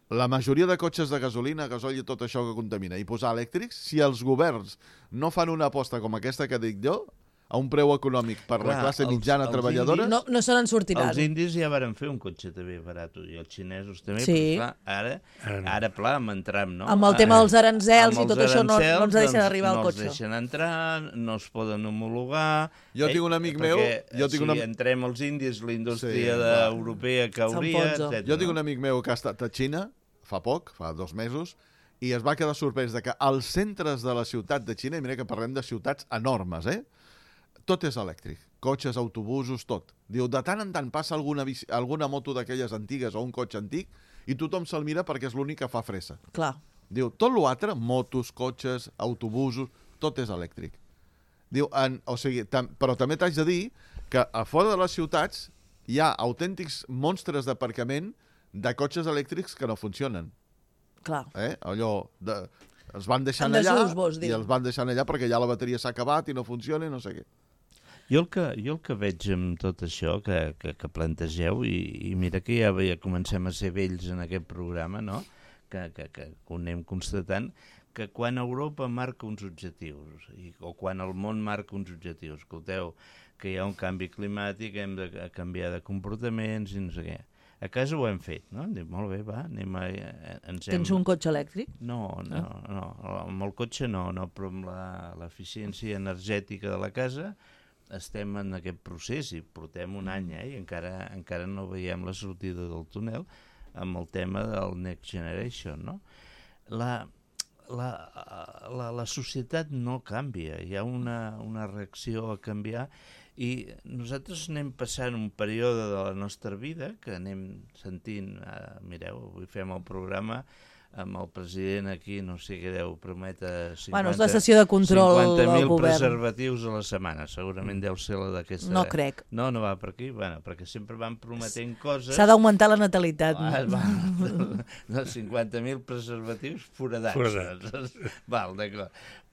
la majoria de cotxes de gasolina, gasoil i tot això que contamina, i posar elèctrics, si els governs no fan una aposta com aquesta que dic jo, a un preu econòmic per Clar, la classe els- mitjana els treballadora... indis- No, no se n'en sortiran. Els indis ja varen fer un cotxe també barat, i els xinesos també, Sí. però clar, ara, Ara no. ara pla, amb entram, no? Amb el tema dels aranzels Amb i tot els això no- no aranzels, ens deixen doncs, arribar al no cotxe. No els deixen entrar, no es poden homologar... Jo tinc un amic meu- perquè, jo tinc si un am- entrem els indis, la indústria Sí, de, clar. europea cauria, S'enfonsa. etcètera. Jo tinc un amic meu que ha estat a Xina fa poc, fa dos mesos, i es va quedar sorprès de que als centres de la ciutat de Xina, i mira que parlem de ciutats enormes, eh? Tot és elèctric. Cotxes, autobusos, tot. Diu, de tant en tant passa alguna, bici, alguna moto d'aquelles antigues o un cotxe antic i tothom se'l mira perquè és l'únic que fa fressa. Clar. Diu, tot l'altre, motos, cotxes, autobusos, tot és elèctric. Diu, en, o sigui, tam, però també t'haig de dir que a fora de les ciutats hi ha autèntics monstres d'aparcament de cotxes elèctrics que no funcionen. Clar. Eh? Allò, de, els van deixant En allà desús, vols dir. i els van deixant allà perquè ja la bateria s'ha acabat i no funciona i no sé què. Jo el que, jo el que veig amb tot això que, que, que plantegeu, i, i mira que ja, ja comencem a ser vells en aquest programa, no? que, que, que ho anem constatant, que quan Europa marca uns objectius, i, o quan el món marca uns objectius, escolteu, que hi ha un canvi climàtic, hem de canviar de comportaments i no sé què. A casa ho hem fet, no? Dic, molt bé, va, anem a... Ens hem... Tens un cotxe elèctric? No, no, no, amb el cotxe no, no, però amb l'eficiència energètica de la casa estem en aquest procés i portem un any, eh, i encara, encara no veiem la sortida del túnel amb el tema del Next Generation, no? La, la, la, la societat no canvia, hi ha una, una reacció a canviar i nosaltres anem passant un període de la nostra vida que anem sentint, eh, mireu, avui fem el programa amb el president aquí, no sé què deu prometre cinquanta, Bueno, és la sessió de control cinquanta al mil govern. preservatius a la setmana, segurament deu ser la d'aquesta... No crec. No, no va per aquí, bueno, perquè sempre van prometent coses... S'ha d'augmentar la natalitat. Ah, va, no, cinquanta mil preservatius foradats. Foradats. Val, d'acord.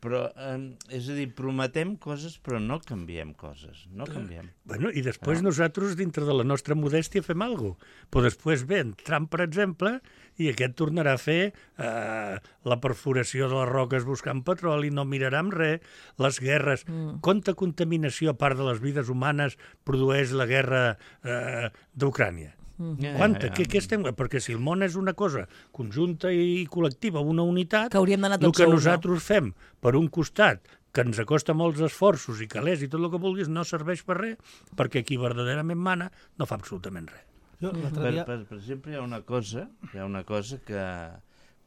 Però, eh, és a dir, prometem coses però no canviem coses, no canviem. Bueno, i després no. nosaltres, dintre de la nostra modèstia, fem alguna cosa. Però després ve en Trump, per exemple, i aquest tornarà a fer eh, la perforació de les roques buscant petroli, no mirarà amb res, les guerres. Mm. Quanta contaminació, a part de les vides humanes, produeix la guerra eh, d'Ucrània? Mm. Ja, Quanta? ja, ja. Què, què estem... Perquè si el món és una cosa conjunta i col·lectiva, una unitat, Que hauríem d'anar el tots que a una. nosaltres fem per un costat, que ens acosta molts esforços i calés i tot el que vulguis, no serveix per res, perquè qui verdaderament mana no fa absolutament res. Jo, l'altre Per, dia... per, per exemple, hi ha una cosa, hi ha una cosa que,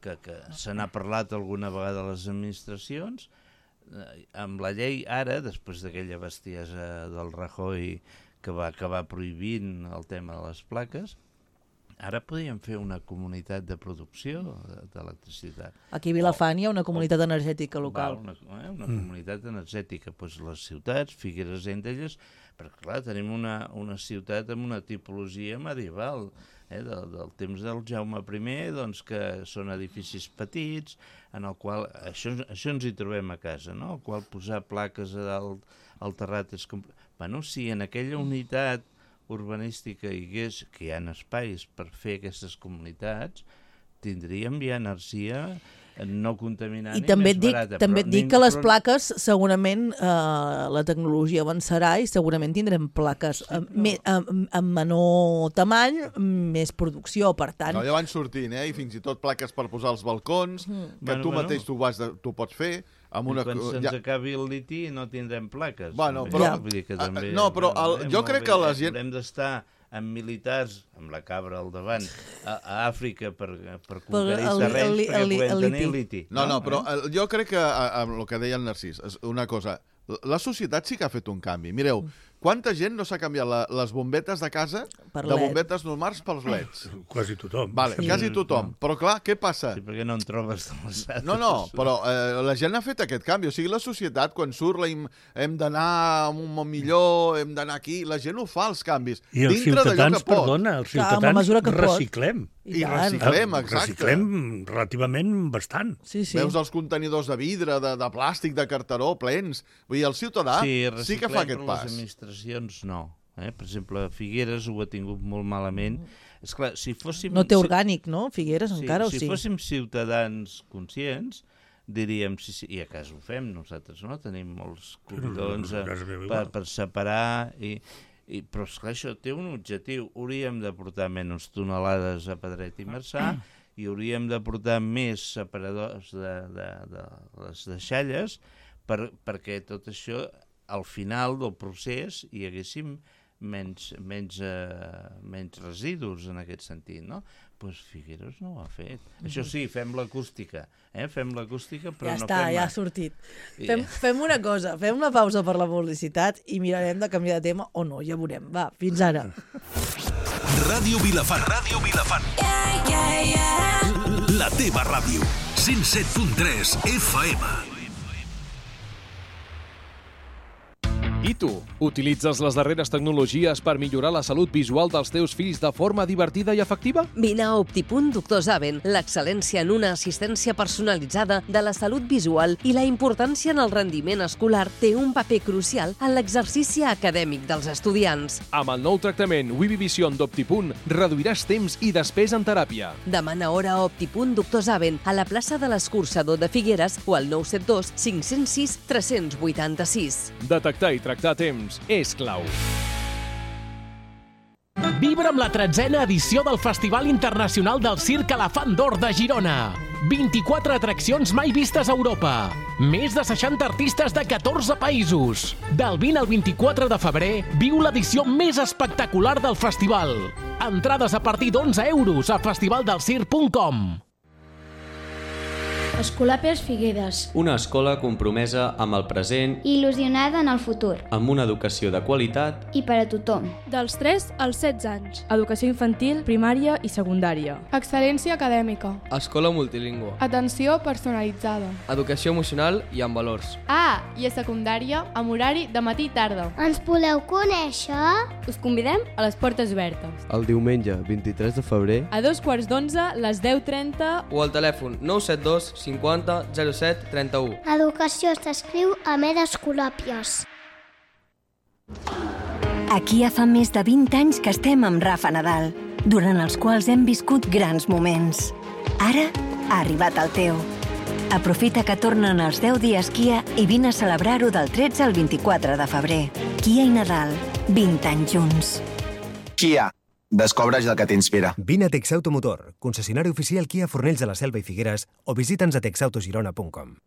que, que se n'ha parlat alguna vegada a les administracions, eh, amb la llei ara, després d'aquella bestiesa del Rajoy que va acabar prohibint el tema de les plaques, ara podríem fer una comunitat de producció d'electricitat. Aquí a Vilafant hi ha una comunitat energètica local. Val, una, eh, una mm. comunitat energètica, doncs les ciutats, Figueres entre elles, perquè clar, tenim una, una ciutat amb una tipologia medieval, eh, del, del temps del Jaume primer, doncs que són edificis petits, en el qual, això, això ens hi trobem a casa, no? El qual posar plaques a dalt al terrat és... Com... Bueno, si en aquella unitat urbanística hi hagués, que hi ha espais per fer aquestes comunitats, tindríem ja energia no contaminant I i, també més et dic, barata. també però et dic nin- que les però- plaques segurament eh, la tecnologia avançarà i segurament tindrem plaques sí, amb, me, amb, amb menor tamany, més producció, per tant... No, ja van sortint, eh? I fins i tot plaques per posar als balcons, mm. que Bueno, tu bueno. mateix tu, vas de, tu pots fer, amb una... I quan se'ns ja... acabi el liti no tindrem plaques. Bueno, també. però- Vull dir que Ah, també, no, però el- eh, jo molt crec bé, que la eh, gent- Haurem d'estar amb militars, amb la cabra al davant, a, a Àfrica per, per conquerir el- terrenys el- perquè el- podem el tenir liti. liti. No, no, però Eh? eh, jo crec que, a- amb el que deia el Narcís, és una cosa, la societat sí que ha fet un canvi. Mireu, quanta gent no s'ha canviat la, les bombetes de casa Per de L E D. bombetes normals pels leds? Quasi tothom. Vale, Sí. quasi tothom. Però clar, què passa? Sí, perquè no en trobes de les altres. No, no, però eh, la gent ha fet aquest canvi. O sigui, la societat, quan surt, la hem, hem d'anar a un món millor, hem d'anar aquí, la gent ho fa, els canvis. I els dintre d'allò ciutadans, que pot. perdona, els Clar, amb la ciutadans mesura que pot. reciclem. I tant. reciclem, exacte. Reciclem relativament bastant. Sí, sí. Veus els contenidors de vidre, de, de plàstic, de carteró, plens. Vull dir, el ciutadà sí, sí que fa aquest però pas. les administracions no. Eh? Per exemple, Figueres ho ha tingut molt malament. És clar, si fóssim... No té si- orgànic, no? Figueres, Sí, encara o si sí? fóssim ciutadans conscients, diríem, sí, sí, i a casa ho fem nosaltres, no? Tenim molts cobidons a eh, casa meva per, igual. per separar, i, i, però esclar, això té un objectiu. Hauríem de portar menys tonelades a Pedret i Marçà i hauríem de portar més separadors de, de, de les deixalles per, perquè tot això, al final del procés, hi haguéssim menys, menys, eh, menys residus en aquest sentit, no? Doncs Figueres no ho ha fet. Això sí, fem l'acústica, eh? Fem l'acústica, però ja no està, fem... ja ha sortit. Fem, fem una cosa, fem una pausa per la publicitat i mirarem de canviar de tema o no, ja veurem. Va, fins ara. Ràdio Vilafant. Ràdio Vilafant. Yeah, yeah, yeah. La teva ràdio. cent set punt tres F M. I tu, utilitzes les darreres tecnologies per millorar la salut visual dels teus fills de forma divertida i efectiva? Vine a Optipunt Doctor Zaven, l'excel·lència en una assistència personalitzada de la salut visual i la importància en el rendiment escolar té un paper crucial en l'exercici acadèmic dels estudiants. Amb el nou tractament Wivivision d'Optipunt reduiràs temps i despesa en teràpia. Demana hora a Optipunt Doctor Zaven a la plaça de l'Escurçador de Figueres o al nou set dos cinc zero sis tres vuit sis. Detectar i tractar a temps és clau. Vibra amb la tretzena edició del Festival Internacional del Circ Elefant d'Or de Girona. vint-i-quatre atraccions mai vistes a Europa. Més de seixanta artistes de catorze països. Del vint al vint-i-quatre de febrer, viu l'edició més espectacular del festival. Entrades a partir d'onze euros a festivaldelscirc punt com. Escolàpies Figueres. Una escola compromesa amb el present i il·lusionada en el futur. Amb una educació de qualitat i per a tothom. Dels tres als setze anys. Educació infantil, primària i secundària. Excel·lència acadèmica. Escola multilingüe. Atenció personalitzada. Educació emocional i amb valors. Ah, i a secundària amb horari de matí i tarda. Ens voleu conèixer? Us convidem a les portes obertes. El diumenge vint-i-tres de febrer a dos quarts d'onze, les deu trenta o al telèfon nou set dos cinquanta zero set trenta-u. Educació s'escriu amb E d'Escolàpies. Aquí ja fa més de vint anys que estem amb Rafa Nadal, durant els quals hem viscut grans moments. Ara ha arribat el teu. Aprofita que tornen els deu dies Kia i vine a celebrar-ho del tretze al vint-i-quatre de febrer. Kia i Nadal, vint anys junts. Kia. Descobreix el que t'inspira. Vine a Texautomotor, concessionari oficial Kia Fornells de la Selva i Figueres, o visita'ns a texautogirona punt com.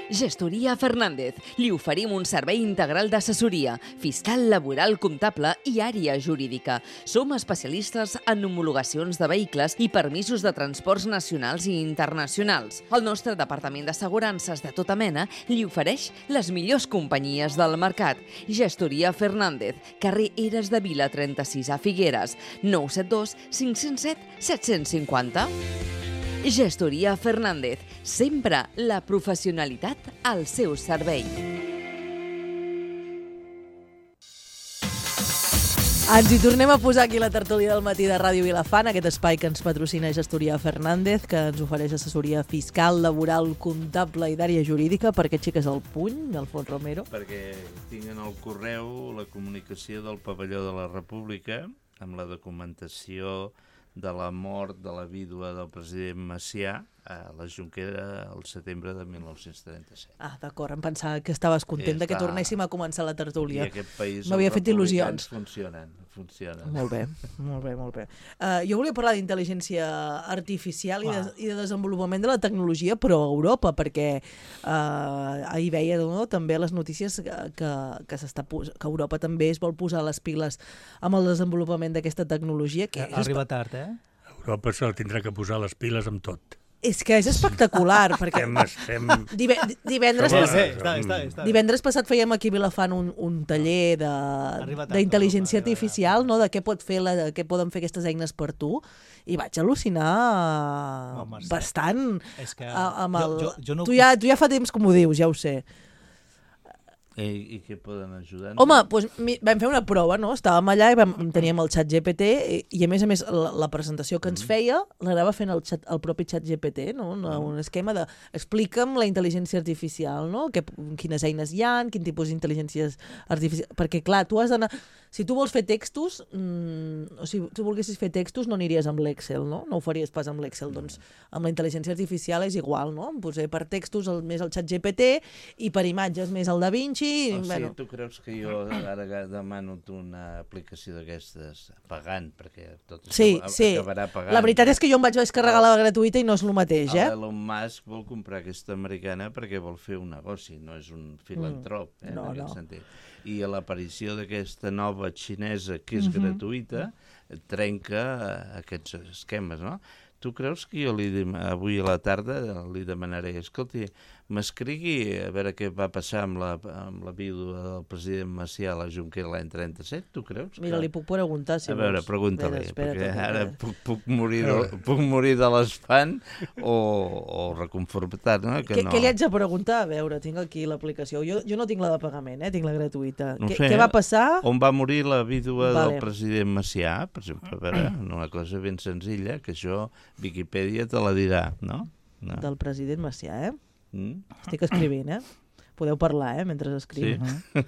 Gestoria Fernández. Li oferim un servei integral d'assessoria, fiscal, laboral, comptable i àrea jurídica. Som especialistes en homologacions de vehicles i permisos de transports nacionals i internacionals. El nostre departament d'assegurances de tota mena li ofereix les millors companyies del mercat. Gestoria Fernández, carrer Eres de Vila trenta-sis a Figueres, nou set dos cinc zero set set cinc zero. Gestoria Fernández, sempre la professionalitat al seu servei. Ens hi tornem a posar aquí la tertúlia del matí de Ràdio Vilafant, aquest espai que ens patrocina Gestoria Fernández, que ens ofereix assessoria fiscal, laboral, comptable i d'àrea jurídica. Per què aixeques el puny, Alfons Romero? Perquè tinc en el correu la comunicació del pavelló de la República amb la documentació de la mort de la vídua del president Macià a la Jonquera el setembre de mil nou-cents trenta-set. Ah, d'acord, em pensava que estaves content de que Està... tornéssim a començar la tertúlia. I aquest país m'havia fet il·lusions. Funcionen, funcionen. Molt bé, molt bé, molt bé. Uh, jo volia parlar d'intel·ligència artificial i de, i de desenvolupament de la tecnologia, però a Europa, perquè uh, ahir veia no, també les notícies que, que, que, s'està, que Europa també es vol posar les piles amb el desenvolupament d'aquesta tecnologia. Que Arriba tard, eh? Europa se la tindrà que posar les piles amb tot. És que és espectacular, perquè estem, estem... Dive, divendres, sí, pas... sí, està, està, està. divendres passat fèiem aquí a Vilafant un, un taller d'intel·ligència artificial, no? De què pot fer la, de què poden fer aquestes eines per tu, i vaig al·lucinar Home, bastant. És que amb el... jo, jo, jo no... tu, ja, tu ja fa temps que m'ho dius, ja ho sé. I, i què poden ajudar? Home, doncs vam fer una prova, no? Estàvem allà i vam, teníem el xat G P T i, i a més a més la, la presentació que ens feia l'anava fent el, xat, el propi xat G P T, no? Una, un esquema de explica'm la intel·ligència artificial, no? Que, quines eines hi ha, quin tipus d'intel·ligències artificials... Perquè clar, tu has d'anar... Si tu vols fer textos, mmm, o si tu volguessis fer textos no aniries amb l'Excel, no? No ho faries pas amb l'Excel, doncs amb la intel·ligència artificial és igual, no? Pues, eh, per textos el, més el xat G P T i per imatges més el Da Vinci. O sigui, bueno. tu creus que jo ara demano una aplicació d'aquestes pagant, perquè tot això sí, sí. acabarà pagant. La veritat és que jo em vaig descarregar la gratuïta i no és el mateix, eh? Elon Musk vol comprar aquesta americana perquè vol fer un negoci, no és un filantrop, eh, no, en aquest no. sentit. i a l'aparició d'aquesta nova xinesa, que és Mhm. gratuïta, trenca aquests esquemes, no? Tu creus que jo li, dem- avui a la tarda li demanaré, escolti, m'escrigui a veure què va passar amb la, amb la vídua del president Macià a la Junquera l'any trenta-set, tu creus? Mira, li puc preguntar, si A veure, vols. pregunta-li, Espera, perquè espera't, ara espera't. puc, puc, morir de, puc morir de l'espant o, o reconfortat, no? Que Què, no. què li haig de preguntar? A veure, tinc aquí l'aplicació. Jo, jo no tinc la de pagament, eh? Tinc la gratuïta. No Què, sé, què va passar? On va morir la vídua Vale. del president Macià, per exemple, a veure, una cosa ben senzilla, que això Viquipèdia te la dirà, no? no. Del president Macià, eh? Mm? Estic escrivint, eh? Podeu parlar, eh, mentre escriu. Sí.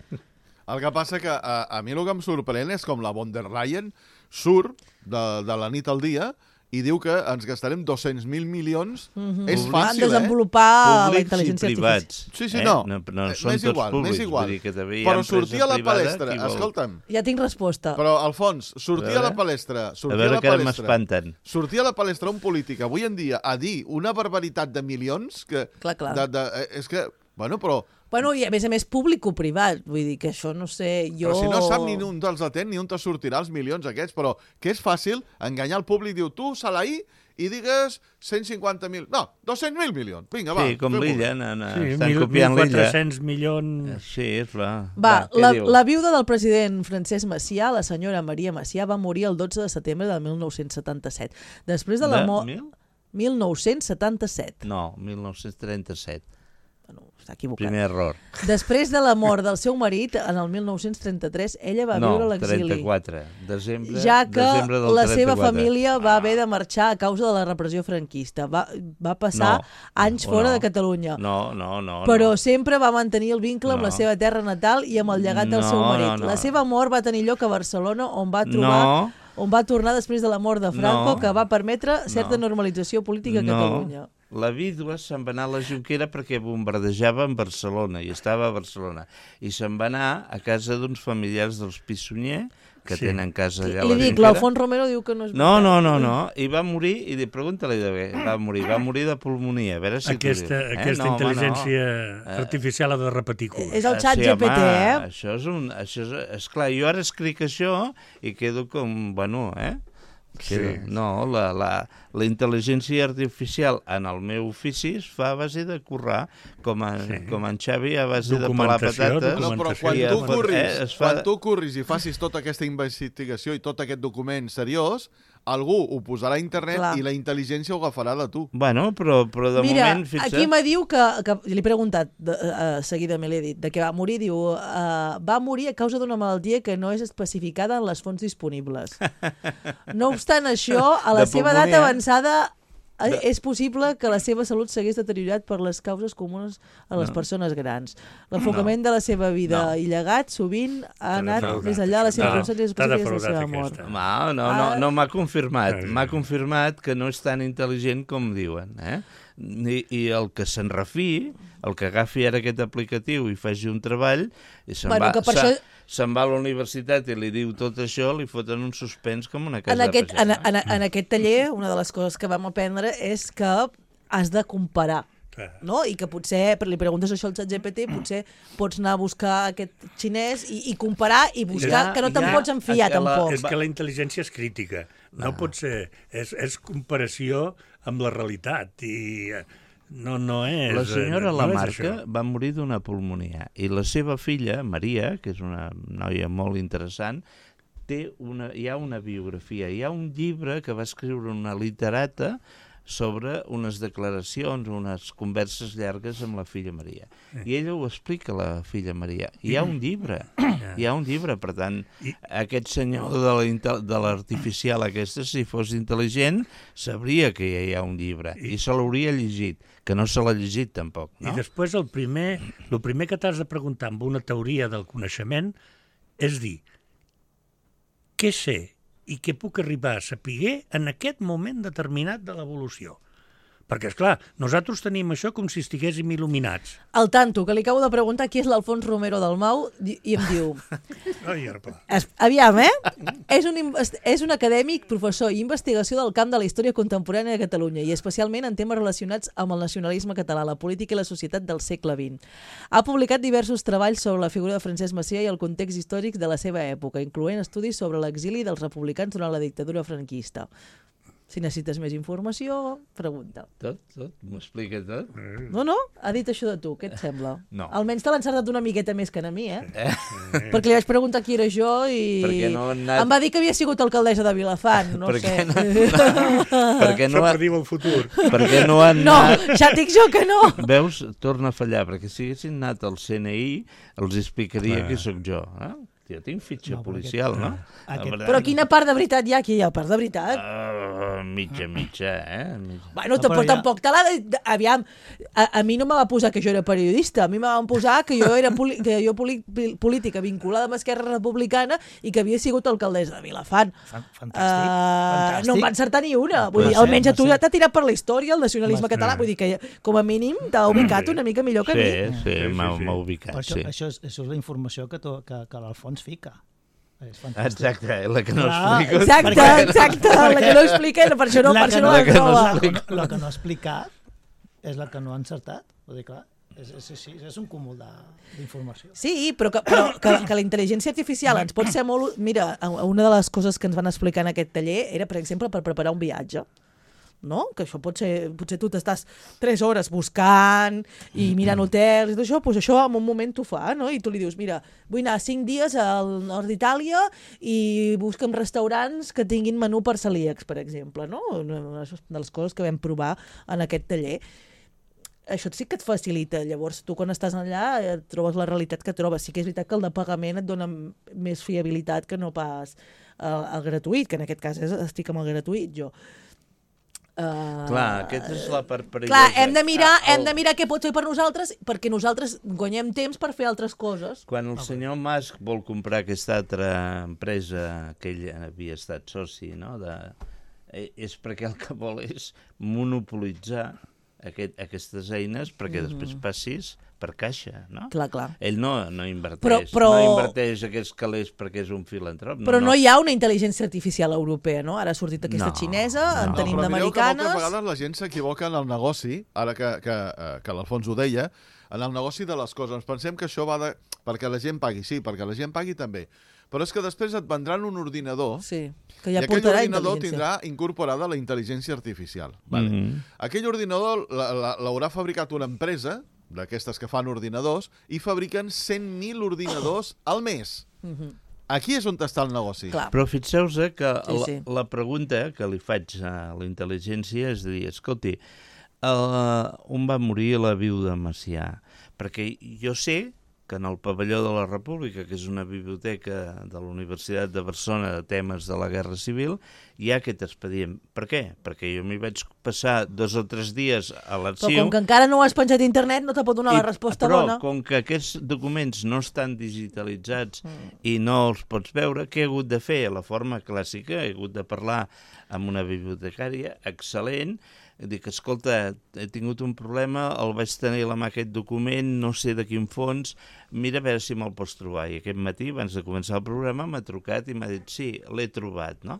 El que passa que a, a mi el que em sorprèn és com la von der Leyen surt de, de la nit al dia i diu que ens gastarem dos-cents mil milions. Mhm. És Van fàcil, desenvolupar eh? la intel·ligència privats. artificial. Sí, sí, Eh? no. No, no Eh, són m'és tots igual, públics, m'és igual. vull dir que també hi ha Però empresa sortir a la privada, palestra, qui vol- escolta'm, Ja tinc resposta. però, Alfons, sortir a, A la veure. palestra, sortir A veure a la que ara palestra, m'espanten. sortir a la palestra un polític avui en dia a dir una barbaritat de milions que... Clar, clar. De, de, eh, és que, bueno, però... Bueno, i a més a més públic o privat, vull dir que això no sé, jo... Però si no sap ni un dels atén, ni on te sortirà els milions aquests, però que és fàcil enganyar el públic, diu, tu, Salaí, i digues cent cinquanta mil... No, dos-cents mil milions. Vinga, va. Sí, com fem-ho. l'illa, no, no, Sí, estan mil- copiant l'illa. mil quatre-cents milions... Sí, és clar. Va, què la, diu? la viuda del president Francesc Macià, la senyora Maria Macià, va morir el dotze de setembre de mil nou-cents setanta-set. Després de la De mort... mil? mil nou-cents setanta-set. No, mil nou-cents trenta-set. Bueno, està equivocat. Primer error. Després de la mort del seu marit, en el mil nou-cents trenta-tres, ella va no, viure a l'exili. trenta-quatre. Desembre, Ja que desembre del la seva trenta-quatre. família va haver de marxar a causa de la repressió franquista. Va, va passar No, anys o fora no. de Catalunya. No, no, no. Però no. sempre va mantenir el vincle amb No. la seva terra natal i amb el llegat del No, seu marit. no, no. La seva mort va tenir lloc a Barcelona, on va trobar... No. on va tornar després de la mort de Franco, No. que va permetre certa No. normalització política a Catalunya. La vídua se'n va anar a la Junquera perquè bombardejava en Barcelona i estava a Barcelona. I se'n va anar a casa d'uns familiars dels Pissunyer, que Sí. tenen casa allà a Li la dic, Junquera. l'Alfons Romero diu que no és No, veritat. no, no, no. I va morir, i di- pregunta-li de què va morir. Va morir de pulmonia. A veure si Aquesta, t'ho diu. Eh? aquesta no, home, intel·ligència no. artificial ha de repetir curs. És el Ah, xat sí, G P T, home, eh? Això és un... Això és, esclar, jo ara escric això i quedo com... Bueno, eh? Quedo, Sí. No, la, la, la intel·ligència artificial en el meu ofici es fa a base de currar, com, a, Sí. com en Xavi, a base de pelar Documentació, patates. No, però quan i tu, es- curris, eh, es fa... quan tu curris i facis tota aquesta investigació i tot aquest document seriós, algú ho posarà a internet Clar. i la intel·ligència ho agafarà de tu. Bueno, però, però de Mira, moment, fixa't... aquí me diu que, que li he preguntat de, uh, seguidament, li he dit, de què va morir, diu, uh, va morir a causa d'una malaltia que no és especificada en les fonts disponibles. No obstant això, a la De seva edat pulmonia. avançada eh, és possible que la seva salut s'hagués deteriorat per les causes comunes a les No. persones grans. L'enfocament de la seva vida No. i llegat sovint ha anat defraudat, més enllà de les això. circumstàncies T'ha específiques de la defraudat seva mort. aquesta. No, no, no, Ah. no m'ha confirmat. Ah, sí. M'ha confirmat que no és tan intel·ligent com diuen. Eh? I, I el que se'n refiï, el que agafi ara aquest aplicatiu i faci un treball, i se'n Bueno, va, que per se, això- se'n va a la universitat i li diu tot això, li foten un suspens com una casa En aquest, de en, pagès. en, en aquest taller, una de les coses que vam aprendre és que has de comparar. Clar. No? I que potser, li preguntes això al xat G P T, potser pots anar a buscar aquest xinès i, i comparar i buscar, Ja, que no te'n ja, pots enfiar, a la- tampoc. És que la intel·ligència és crítica. No pot ser... És, és comparació amb la realitat i eh, no, no és... La senyora eh, no és Lamarca això. va morir d'una pulmonia i la seva filla, Maria, que és una noia molt interessant, té una, hi ha una biografia, hi ha un llibre que va escriure una literata sobre unes declaracions, unes converses llargues amb la filla Maria. I ella ho explica, la filla Maria. Hi ha un llibre, hi ha un llibre, per tant, aquest senyor de la inte- de l'artificial aquesta, si fos intel·ligent, sabria que hi ha un llibre i se l'hauria llegit, que no se l'ha llegit tampoc, I no? després el primer, el primer que t'has de preguntar amb una teoria del coneixement és dir què sé i què puc arribar a saber en aquest moment determinat de l'evolució. perquè, esclar, nosaltres tenim això com si estiguéssim il·luminats. Al tanto, que li acabo de preguntar qui és l'Alfons Romero del Mau i em diu... Ai, arpa. Es, aviam, eh? és, un, és un acadèmic, professor i investigació del camp de la història contemporània de Catalunya i especialment en temes relacionats amb el nacionalisme català, la política i la societat del segle vint. Ha publicat diversos treballs sobre la figura de Francesc Macià i el context històric de la seva època, incloent estudis sobre l'exili dels republicans durant la dictadura franquista. Si necessites més informació, pregunta. Tot, tot, m'ho explica tot. No, no, ha dit això de tu, què et sembla? No. Almenys te l'ha encertat una miqueta més que a mi, eh? Eh? Perquè li vaig preguntar qui era jo i no anat... em va dir que havia sigut alcaldessa de Vilafant, no per sé. No, perquè no Això ha... per dir el futur. Perquè no han No, anat... ja et dic jo que no. Veus? Torna a fallar, perquè si haguessin anat al C N I els explicaria Clar. qui sóc jo, eh? Jo tinc fitxa no, policial, aquest, no? Aquest... Però quina part de veritat hi ha aquí? Hi ha part de veritat? Uh, mitja, mitja, eh? Mitja. Bueno, tampoc, ja... tampoc te l'ha de... Aviam, a, a mi no me va posar que jo era periodista, a mi me van posar que jo era poli... que jo poli... política vinculada amb Esquerra Republicana i que havia sigut alcaldessa de Vilafant. Fantàstic, Uh, fantàstic. no em va encertar ni una. Vull dir, ser, almenys a tu va ja t'ha tirat per la història, el nacionalisme Va català. Vull dir que com a mínim t'ha ubicat una mica millor que sí, a mi. Sí, sí, m'ha sí, sí. ubicat, Però això, sí. això, és, això és la informació que, to, que, que l'Alfons fica. És fantàstic. Exacte, la que no Clar, explico. Exacte, perquè- exacte, la que no explica, per això no, La per que això no no- la la que no troba. explica. La que no ha explicat és la que no ha encertat. Vull dir, clar, és, és, és, és un cúmul de- d'informació. Sí, però, que, però que, que la intel·ligència artificial ens pot ser molt... Mira, una de les coses que ens van explicar en aquest taller era, per exemple, per preparar un viatge. No? Que això pot ser, potser tu t'estàs tres hores buscant i mirant hotels i tot això, doncs això en un moment t'ho fa, no? I tu li dius, mira, vull anar cinc dies al nord d'Itàlia i busca'm restaurants que tinguin menú per celíacs, per exemple, no? Una de les coses que vam provar en aquest taller. Això sí que et facilita. Llavors, tu quan estàs allà et trobes la realitat que trobes. Sí que és veritat que el de pagament et dona més fiabilitat que no pas el, el gratuït, que en aquest cas és, estic amb el gratuït, jo. Uh, Clar, aquesta és la part perillosa. Clar, hem de mirar, Ah, hem de mirar què pot fer per nosaltres, perquè nosaltres guanyem temps per fer altres coses. Quan el senyor Musk vol comprar aquesta altra empresa que ell havia estat soci, no? De... és perquè el que vol és monopolitzar aquest, aquestes eines perquè Mhm. després passis per caixa, no? Clar, clar. Ell no, no inverteix, Però- però- no inverteix aquests calés perquè és un filantrop. Però no, no hi ha una intel·ligència artificial europea, no? Ara ha sortit aquesta No, xinesa, en no. tenim Però mireu que d'americanes... moltes vegades la gent s'equivoca en el negoci, ara que, que, eh, que l'Alfons ho deia, en el negoci de les coses. Ens pensem que això va de... perquè la gent pagui, sí, perquè la gent pagui també. Però és que després et vendran un ordinador sí, que ja i aquell portarà ordinador intel·ligència. tindrà incorporada la intel·ligència artificial. Vale? Mhm. Aquell ordinador la- la- l'haurà fabricat una empresa, d'aquestes que fan ordinadors, i fabriquen cent mil ordinadors al mes. Mhm. Aquí és on està el negoci. Clar. Però fixeu-vos que Sí, la, sí. la pregunta que li faig a la intel·ligència és dir, escolti, uh, on va morir la viuda Macià? Perquè jo sé que en el pavelló de la República, que és una biblioteca de la Universitat de Barcelona de temes de la Guerra Civil, hi ha aquest expedient. Per què? Perquè jo m'hi vaig passar dos o tres dies a Però l'arxiu... com que encara no ho has penjat a internet, no te pot donar I- la resposta però, bona. com que aquests documents no estan digitalitzats mm. i no els pots veure, què he hagut de fer? La forma clàssica, he hagut de parlar amb una bibliotecària excel·lent, dic, escolta, he tingut un problema, el vaig tenir a la mà aquest document, no sé de quin fons, mira a veure si me'l pots trobar. I aquest matí, abans de començar el programa, m'ha trucat i m'ha dit, sí, l'he trobat, no?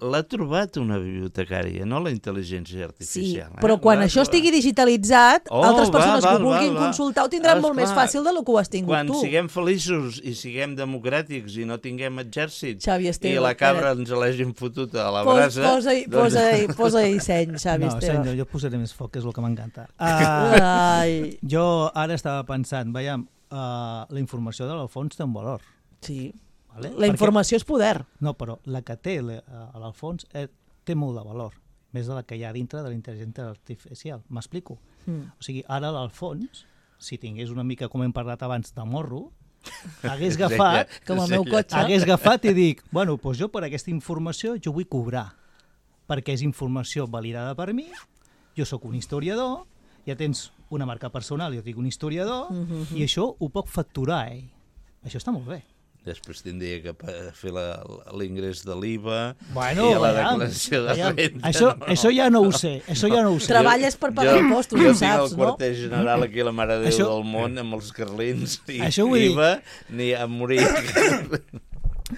L'ha trobat una bibliotecària, no la intel·ligència Sí, artificial. però eh? quan L'ha això trobat. estigui digitalitzat, Oh, altres va, persones va, que ho vulguin va, va. consultar ho tindran Ah, molt més esclar, fàcil del que ho has tingut quan tu. Quan siguem feliços i siguem democràtics i no tinguem exèrcit Xavi Esteve, i la cabra espera't. ens l'hagin fotut a la Pos, brasa... posa-hi posa posa seny, Xavi No, Esteve. senyor, jo posaré més foc, que és el que m'encanta. Uh, Ai. jo ara estava pensant, veiem, uh, la informació de l'Alfons té un valor. Sí. Vale? La informació és poder. No, però la que té la- a l'Alfons eh, té molt de valor, més de la que hi ha dintre de la intel·ligència artificial. M'explico? Mm. O sigui, ara l'Alfons, si tingués una mica, com hem parlat abans, de morro, hagués agafat, Com el meu cotxe. hagués agafat i dic, bueno, doncs jo per aquesta informació jo vull cobrar, perquè és informació validada per mi, jo sóc un historiador, ja tens una marca personal, jo dic un historiador, Mhm. i això ho puc facturar ell. Això està molt bé. després tindria que fer l'ingrés de l'I V A bueno, i la ja, declaració de ja, renta. Això, no. això ja no ho sé, això ja no ho sé. Treballes per pagar jo, impostos, jo ho saps, no? Jo tinc el quarter general aquí a la Mare de Déu això, del món amb els carlins i I V A, ni a morir.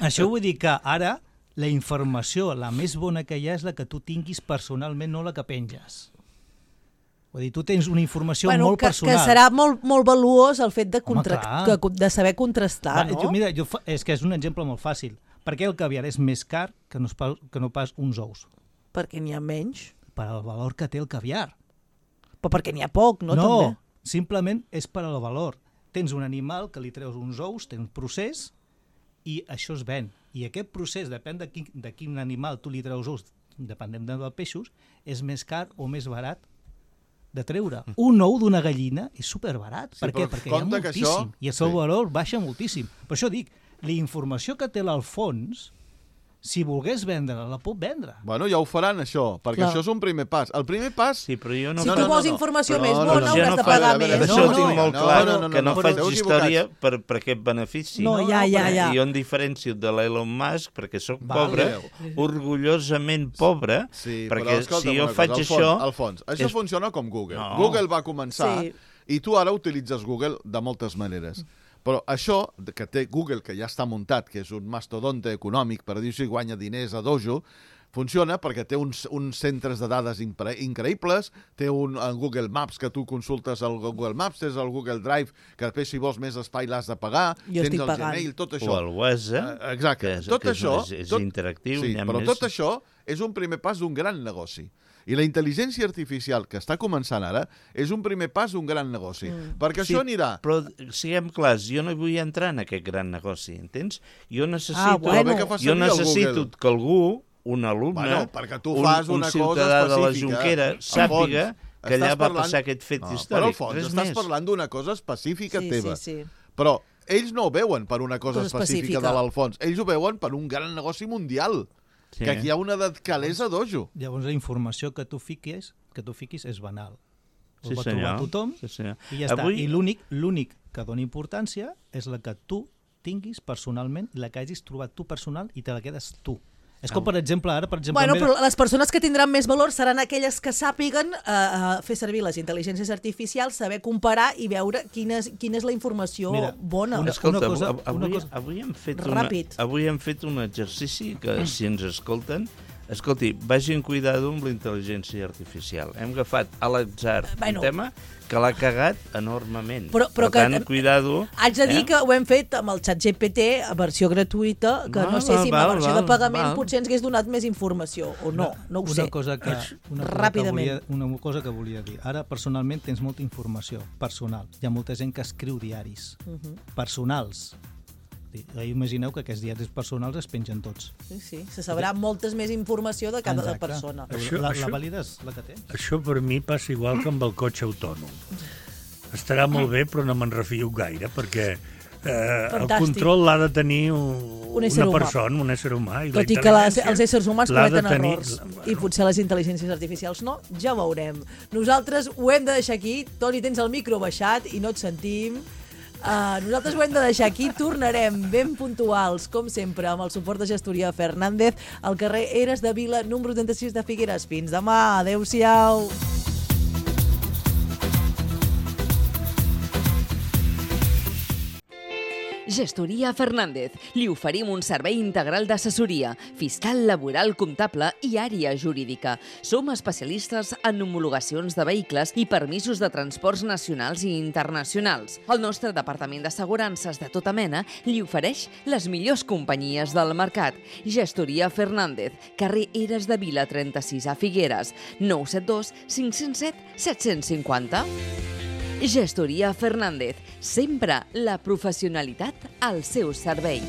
Això vull dir que ara la informació, la més bona que hi ha és la que tu tinguis personalment, no la que penges. Vull dir, tu tens una informació bueno, molt que, personal. Que serà molt, molt valuós el fet de, contra... Home, que, de saber contrastar, Va, no? Jo, mira, jo fa... és que és un exemple molt fàcil. Per què el caviar és més car que no, pas, que no pas uns ous? Perquè n'hi ha menys. Per al valor que té el caviar. Però perquè n'hi ha poc, no? No, També. simplement és per al valor. Tens un animal que li treus uns ous, tens un procés i això es ven. I aquest procés, depèn de quin, de quin animal tu li treus ous, depenent dels peixos, és més car o més barat de treure. Un ou d'una gallina és superbarat. Sí, per què? Perquè hi ha moltíssim. Això... I el seu sí. valor baixa moltíssim. Per això dic, la informació que té l'Alfons, si volgués vendre-la, la pot vendre. Bueno, ja ho faran, això, perquè Clar. això és un primer pas. El primer pas... Sí, però jo no... Si no, tu no, vols no, no. informació no, més no, bona, no, hauràs no, de pagar no, més. no, Això no, ho tinc no, molt no, clar, no, no, no, que no no, faig esteu història equivocats. per, per aquest benefici. No, ja, ja, ja. Jo em diferencio de l'Elon Musk perquè sóc Vale. pobre, orgullosament pobre, Sí, perquè però escolta'm si jo una faig cosa, això... Alfons, Alfons, això és... funciona com Google. No. Google va començar Sí. i tu ara utilitzes Google de moltes maneres. Però això que té Google, que ja està muntat, que és un mastodonte econòmic, per dir-ho així, guanya diners a dojo, funciona perquè té uns, uns centres de dades impre, increïbles, té un, un Google Maps que tu consultes al Google Maps, tens el Google Drive, que després si vols més espai l'has de pagar, Jo tens estic el pagant. Gmail, tot això. O el WhatsApp, Uh, exacte. que és, tot que és, això... és, és tot, interactiu. Sí, hi ha però més... tot això és un primer pas d'un gran negoci. I la intel·ligència artificial que està començant ara és un primer pas d'un gran negoci. Mm. Perquè Sí, això anirà... Però siguem clars, jo no vull entrar en aquest gran negoci, entens? Jo necessito, Ah, bueno. Que fa jo servir el necessito Google. que algú, un alumne, Bueno, perquè tu un, fas un una cosa ciutadà de la específica. Jonquera, Alfons, sàpiga que allà estàs va parlant- passar aquest fet No, històric. però, Alfons, Res estàs més. parlant d'una cosa específica Sí, teva. sí, sí. Però ells no ho veuen per una cosa, Cosa específica, específica. de l'Alfons. Ells ho veuen per un gran negoci mundial. Sí. Que aquí hi ha una calés a dojo. Llavors la informació que tu fiquis, que tu fiquis és banal. Ho Sí, va senyor. trobar tothom Sí, senyor. i ja Avui- està. I l'únic l'únic que dona importància és la que tu tinguis personalment i la que hagis trobat tu personal i te la quedes tu. És com, per exemple, ara, per exemple... Bueno, en ve- però les persones que tindran més valor seran aquelles que sàpiguen eh, eh, fer servir les intel·ligències artificials, saber comparar i veure quina és, quina és la informació Mira, bona. una- Escolta, cosa- avui, una cosa- avui, hem fet una, Ràpid. avui hem fet un exercici que, si ens escolten, escolti, vagin cuidado amb la intel·ligència artificial. Hem agafat a l'atzar Bueno. un tema que l'ha cagat enormement. Però- però per que- tant, cuidado. Haig de dir eh? que ho hem fet amb el xat G P T, a versió gratuïta, que Val, no sé val, si amb la val, versió val, de pagament val. potser ens hagués donat més informació, o no, no ho una sé. Cosa que, una, cosa que Ràpidament. volia, una cosa que volia dir. Ara, personalment, tens molta informació personal. Hi ha molta gent que escriu diaris Uh -huh. personals. Imagineu que aquests diaris personals es pengen tots. Sí, sí, se sabrà moltes més informació de cada Exacte. persona. Això- la, això- la vàlida és la que tens. Això per mi passa igual que amb el cotxe autònom. Estarà molt bé, però no me'n refio gaire, perquè eh, el Fantàstic. control l'ha de tenir un, Un ésser una humà. persona, un ésser humà. I la Tot i que les, intel·ligència els éssers humans l'ha de cometen tenir- errors i potser les intel·ligències artificials no, ja ho veurem. Nosaltres ho hem de deixar aquí. Toni, tens el micro baixat i no et sentim. Uh, nosaltres ho hem de deixar aquí. Tornarem ben puntuals, com sempre, amb el suport de Gestoria Fernández al carrer Eres de Vila, número trenta-sis de Figueres. Fins demà. Adéu-siau. Gestoria Fernández. Li oferim un servei integral d'assessoria, fiscal, laboral, comptable i àrea jurídica. Som especialistes en homologacions de vehicles i permisos de transports nacionals i internacionals. El nostre departament d'assegurances de tota mena li ofereix les millors companyies del mercat. Gestoria Fernández, carrer Eres de Vila trenta-sis a Figueres, nou set dos cinc zero set set cinc zero. Gestoria Fernández, sempre la professionalitat al seu servei.